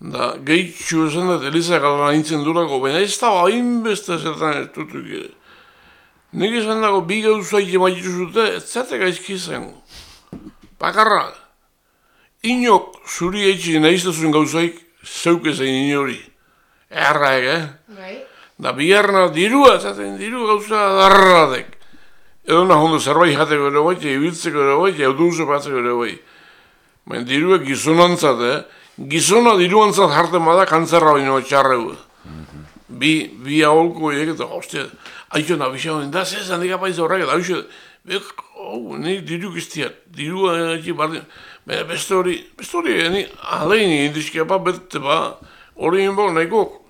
Speaker 3: Da, gehitxu esan dut, Elizak alban aintzen durako, baina ez da hainbeste zertan ez dutuk. Nik esan dago, bi gauzaik emaitu zute, ez zatek aizki izango. Bakarra, inok zuri eitxik nahiztazun gauzaik, zeuk ezein inori. Erraek, Da biharna dirua, zaten diru gauza darradek. Edo nahondo zerbait jateko ere bai, ibiltzeko ere bai, euduze batzeko ere bai. Baina diruek gizonantzat, Gizona diruantzat jarten bada kantzerra baino txarregu. Bi aholko egek eta, hostia, haitxo nabixan, da zez handik apaiz horrek, eta haitxo, nik diru giztiat, dirua egin bardin. Baina beste hori, alein indizkiapa bete ba, hori inbau nahiko,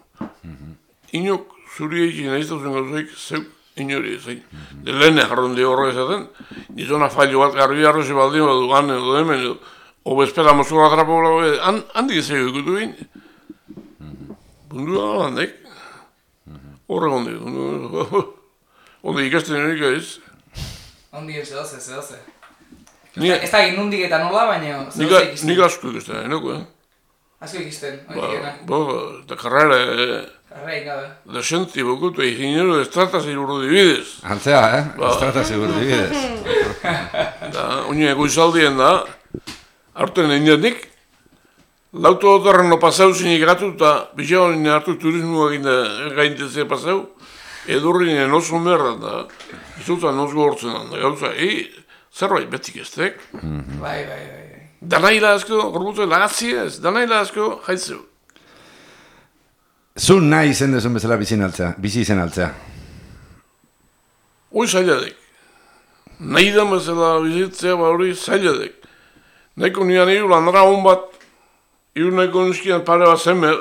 Speaker 3: inok zuri egin nahiztazen gauzaik, zeuk inori ezain. De lehene jarrondi horre ezaten, gizona fallo bat garbi arrozi baldin badu gane edo hemen edo, obespera mozkola atrapola, handik ezagio ikutu egin. Bundu da landek. Horrek ondi ikasten erik ez.
Speaker 4: Ondi zedoze. Ez da nundik eta nola, baina zedoze ikisten.
Speaker 3: Nik asko ikasten, enoko,
Speaker 4: Asko ikisten,
Speaker 3: eta karrera, desenti bokutu, ingeniero estratas iburudibidez.
Speaker 2: Antzea, estratas iburudibidez.
Speaker 3: Da, oine goizaldien da, hartuen egin lauto dotarren no pasau zinik gatu eta bizeo nire hartu turismoa gaintezea pasau, edurri nire nozu merda da, izuta nozu hortzen da, gauza, zerbait betik eztek.
Speaker 4: Bai.
Speaker 3: Danaila asko, gorbutu lagatzi ez, danaila asko, jaitzeu.
Speaker 2: Zu nahi izen dezun bezala bizi izen altzea?
Speaker 3: Hoi zailadek. Nahi da bezala bizitzea hori zailadek. Naiko nian hiru landara hon bat, hiru nahiko nuskian pare bat zenber,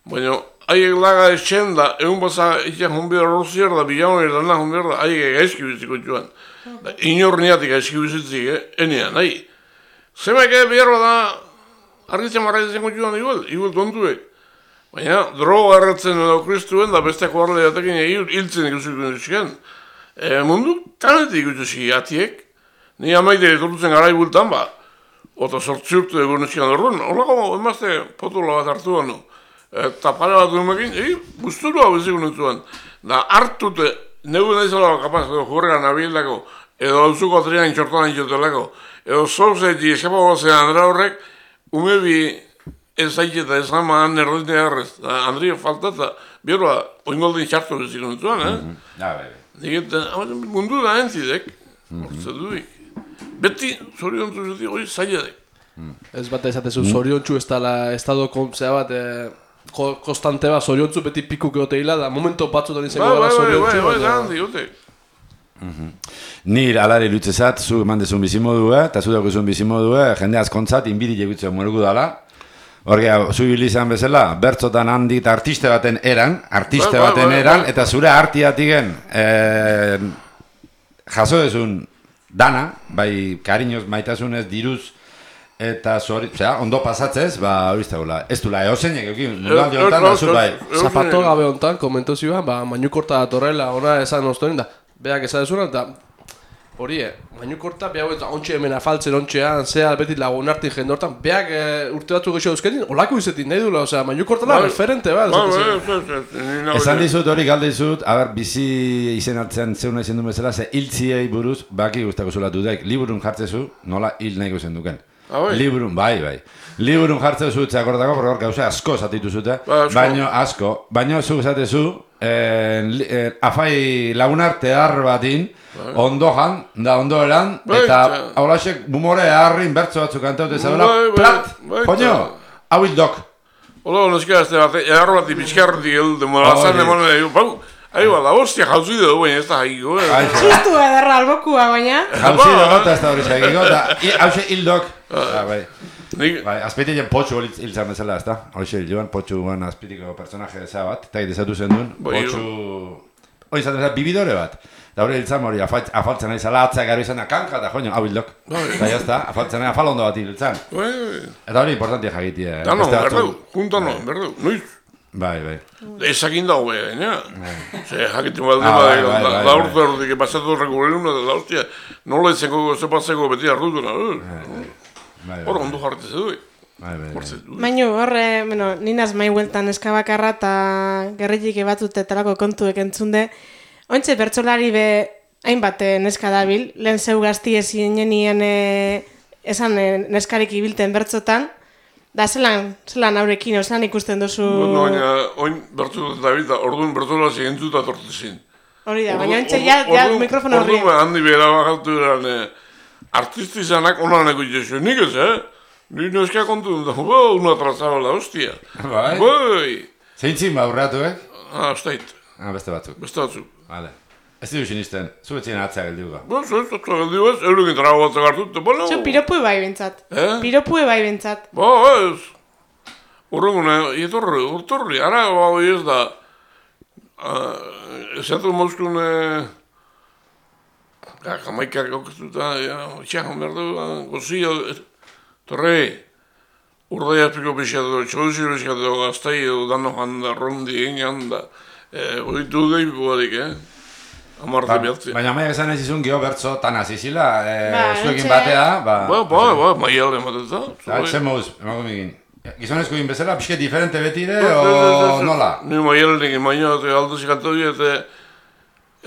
Speaker 3: baina haiek laga etxen da, egun basa itxan honbida rozier da, bilaun erdanak honbida da, haiek gaizki biziko joan. Inor niatik gaizki bizitzik, enean, nahi. Zemek behar da, argitzen marraitzen joan igual tontuek. Baina, droga erretzen edo kristuen da besteako harle jatekin hiltzen ikusik nusken. Mundu tanetik ikusi atiek, ni amaide etortutzen garai bultan ba, eta sortzi urte egon nusken horren, horrako emazte potola bat hartu banu. Eta pare bat dumekin, guzturua beziko nutzuan. Da hartute, neu naizala kapaz, edo jurrean abielako, edo hauzuko atrian txortan intxotelako, edo zorzeti eskapago zen Andra horrek, umebi ez zaiteta ez ama nerdite harrez, Andria falta eta bierroa oingoldin txartu beziko nutzuan, mundu da entzidek, hortze duik. Beti, zoriontzu zeti, hori zailadek.
Speaker 1: Ez bat ezatezu, zoriontzu ez dala estado kontzea bat, konstante bat, zoriontzu beti pikuk egoteila, da momento batzutan izango gara zoriontzu.
Speaker 3: Bai,
Speaker 2: Nir alare lutzezat, zu eman dezun bizimodua, eta zu daukuzun bizimodua, jende askontzat, inbidi jegutzea morugu dala. Horria, zu izan bezala, bertzotan handik eta artiste baten eran, eta zure artiatigen jaso dezun dana, bai kariñoz maitasunez diruz, eta ondo pasatzez, horiz dagoela, ez dula eosenek eukin, mundualdi honetan, azur bai.
Speaker 1: Zapato gabe honetan, komentu zioan, mainukorta datorrela, ona esan oztoren da, beak esan dezunan, eta hori, mainukorta, behar ontxe hemen afaltzen ontxean, zea beti lagun artin jendortan, beak urte batzu geixo eusketin, olako izetin nahi dula, osea, mainukortala referente,
Speaker 2: Esan dizut hori galde dizut, bizi izen hartzen zeuna izen du bezala, ze hiltziei buruz, baki guztako zulatu daik, liburun jartzezu, nola hil nahi guzen duken. Liburun, bai. Liburun jartzezu, zeakordako, porque hor gauza asko zatitu zute, baino zu esatezu, afai lagunarte batin, ondojan, da ondoeran, eta haulasek bumore harrin bertzo batzuk kantaute zaudela, plat, poño, hau hildok.
Speaker 3: Hola, neska, ez da, egarro bat ipizkarrotik edu, demolazan demonen edu, da, hostia, jauzi dugu, baina ez da haiko.
Speaker 5: Txistu edarra albokua, baina.
Speaker 2: Jauzi dugu, eta ez da hori zaigiko, eta hause hildok. Azpitien potxu hiltzan bezala, ez da? Hori joan, potxu azpitiko personaje eza bat, eta egitezatu zen duen, potxu... Hori izan bezala, bibidore bat. Eta hori hiltzan hori, afaltzen nahi zala, atzak garo izan da, kanka, eta joan, hau hildok. Eta jazta, afaltzen nahi afalondo bat hiltzan. Eta hori importantia jagitia.
Speaker 3: Dano, berdeu, juntano, berdeu, noiz.
Speaker 2: Bai.
Speaker 3: Ezakin dago beha, gaina. Ze, jakitin balde, da urte horretik, pasatu rekurrenuna, da hostia, nola etzeko, zepatzeko beti ardutuna. Hor, ondo jarretze du.
Speaker 5: Baina horre, ninaz mai hueltan eskabakarra eta gerritik ebatzute talako kontuek entzunde, ointxe bertsolari be hainbat neska dabil, lehen zeu gazti ezinenien esan neskarik ibilten bertzotan, da zelan haurekin, zelan ikusten duzu...
Speaker 3: Baina, oin bertzotan dabil, orduan bertzola zigentzuta tortezin.
Speaker 5: Hori da, baina ointxe ja mikrofono horri.
Speaker 3: Orduan handi behera bakatu eran artistizanak onaneko itezu, nik ez, Ni neska kontu dut, una trazabala, hostia.
Speaker 2: Bai? Zeintzin baurreatu,
Speaker 3: Aztait.
Speaker 2: Beste batzuk.
Speaker 3: Beste batzuk.
Speaker 2: Vale. Ez didu sinisten, zu betzien atzea geldiuga.
Speaker 3: Zu geldiu ez, eurekin trago batzak hartut, bueno...
Speaker 5: Zu piropue bai bentsat. Piropue bai bentsat.
Speaker 3: Ez. Horrengune, urtorri, ara hori ez da... Ezatu mozkune... Jamaikak aukestuta, txajan behar du, gozia... Torre, urdai azpiko pixatu, txoduzi pixatu, gaztai edo dano janda, rondi egin da. Oitu deipu badik, Amarte bihatzi.
Speaker 2: Baina maia esan ez izun geho bertzo tan azizila, zuekin batea,
Speaker 3: maialde ematetza.
Speaker 2: Zer mauz, emago migin. Gizonezko egin bezala, pixke diferente betire, o nola?
Speaker 3: Ni maialde egin baina, aldozik antoi, eta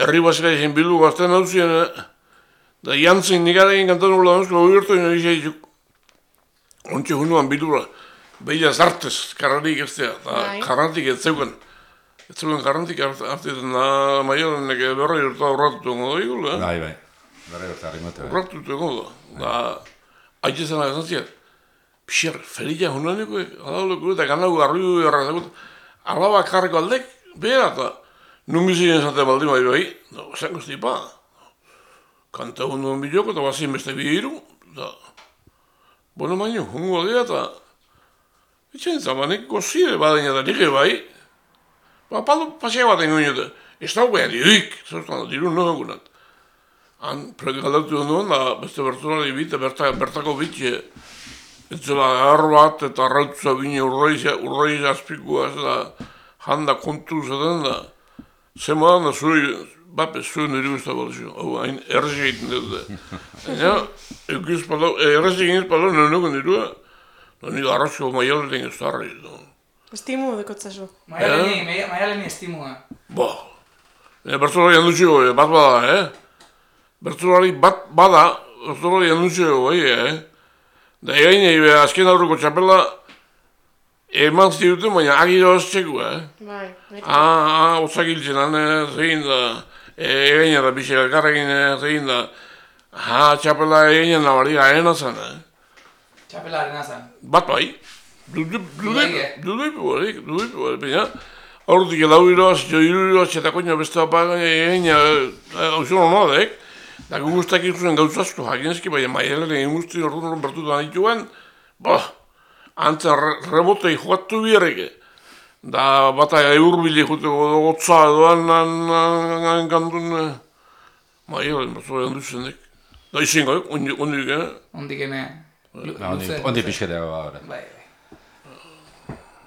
Speaker 3: herri basika egin bildu gazten hau ziren, da jantzin nikarekin kantatu gula danuzko, hori egin ontsi hunuan bildura, behila zartez, karratik ez da, karratik ez zeuken. Ez zeuken karratik hartietan da maiorenek berroi urta horratutu egon da igul,
Speaker 2: Bai, berroi urta harrimote.
Speaker 3: Horratutu egon da. Da, haitzezen agazantziak, pixer, ferilla hunuaneko, alauleko eta ganago garriu errazakut, alaba karriko aldek, behar eta nungizien zate baldi bai, da, zango estipa. Kanta hunuan biloko eta bazien beste bihiru, da, bueno, baino, hungo dira eta... Itxen zamanek gozire badein eta nire bai. Paldo pasea baten goin eta... Ez dago behar dirik, zertan da dirun noen gunat. Han, predikaldatu duen da, beste bertolari bit, bertako bitxe... Etzela agarro bat eta arrautuza bine urroi azpikua ez da... Handa kontu zaten da... Zema da zuri... Bape, zuen nire guzta balzio, hau, hain errezi egiten dut. Errezi egin ez palo, nenoko nirua, nire arrozko maialeten ez darri.
Speaker 5: Estimu dekotzazu.
Speaker 4: Maialeni estimua.
Speaker 3: Bertzolari handutxego, bat bada, Bertzolari bat bada, bertzolari handutxego, Da egain egin, azken aurreko txapela, eman ziruten, baina agiro azteko,
Speaker 5: Bai.
Speaker 3: Otzak hiltzen, zein da... Egaina da bixe elkarrekin egin da, txapela egaina nabari gaena zen,
Speaker 4: Txapela arena zen.
Speaker 3: Bat bai, duduipu barik, baina, aurrutik elau iroaz, jo iroaz, eta koina beste apagan egaina, hauzun honadek, da guztak ikusen gauzazko jakinezki, baina maialen egin guzti orduan bertu da nituen, antza rebotei joatu biarrike. Da bata eurbile juteko gotza edoan gandun... Bai, zoi handu zenek. Da izin gai, ondik,
Speaker 4: Ondik ene...
Speaker 2: Ondi pixketeago gaur.
Speaker 4: Bai.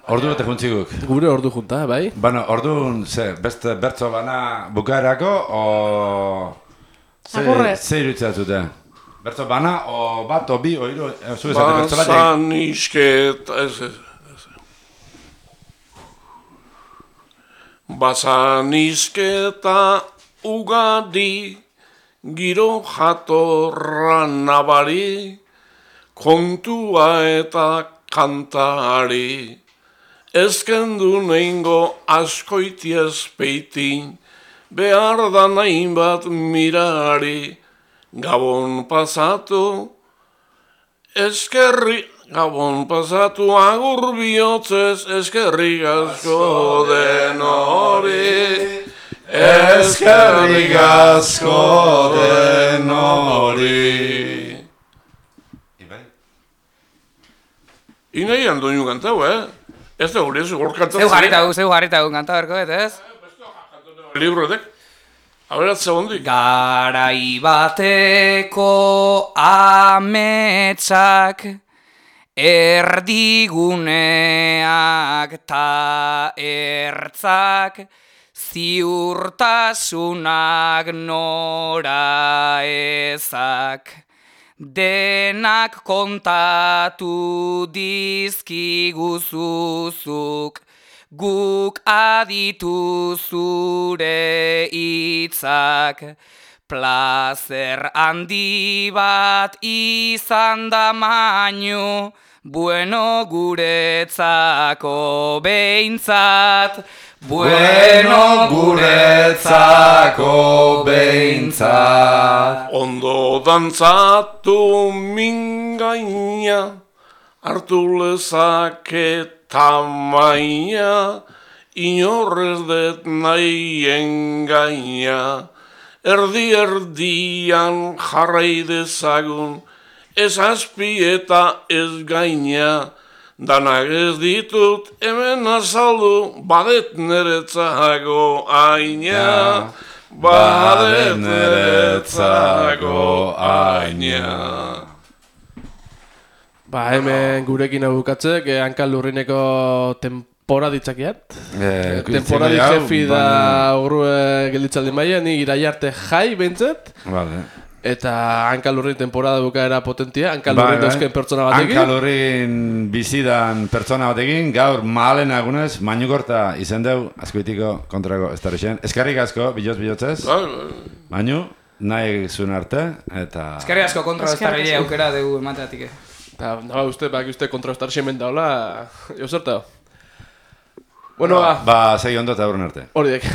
Speaker 2: Ordu bete juntziguk.
Speaker 1: Gure ordu junta, bai?
Speaker 2: Bueno, orduan, beste bertso bana bukaerako, o...
Speaker 5: Agurre.
Speaker 2: Ze iruditzea zute? Bertso bana, o bat, o bi, o hiru, zu esate bertso bat egin.
Speaker 3: Basan isketa, Basan isketa ugadi, giro jatorra nabari, kontua eta kantari. Ezkendu neingo askoitiez peitin, behar da nahin bat mirari. Gabon pasatu, Gabon pasatu agur bihotzez, eskerrik asko den hori. Eskerrik asko den hori. Inai handoinu kantau, Ez da gure, zugor kantatzen.
Speaker 4: Zeu jarritagun kanta berko, ez?
Speaker 3: Libroetek. Aberatze hondik.
Speaker 4: Garai bateko ametsak erdiguneak ta ertzak ziurtasunak nora ezak denak kontatu dizkiguzuzuk guk aditu zure hitzak, plazer handi bat izan da mainu, bueno guretzako behintzat, bueno guretzako behintzat.
Speaker 3: Ondo dantzatu mingaina, hartu lezaket tamaina, inorrez det nahien gaina, erdian jarrai dezagun, ez azpi eta ez gaina, danak ez ditut hemen azaldu, badet neretzako aina, badet neretzako aina.
Speaker 1: Ba, hemen gurekin abukatzek, Hankal Lurrineko temporaditzakiat. Temporadi jefi da horre gelditzaldi maia, ni iraia arte jai behintzet.
Speaker 2: Vale.
Speaker 1: Eta Hankal Lurrin temporada bukaera potentia, Hankal Lurrin dauzken pertsona batekin.
Speaker 2: Hankal Lurrin bizidan pertsona batekin, gaur mahalen agunez, Mainugorta izen deu, azkoitiko kontrako ez darixen. Eskerrik asko, bilotzez. Mainu, nahi zuen arte, eta...
Speaker 4: Eskerrik asko kontra ez darrile aukera dugu emateatik.
Speaker 1: Naba uste, baki uste kontra ez darixen daula, jo zertao. Bueno,
Speaker 2: ba, segi ondo eta horren arte.
Speaker 1: Horiek.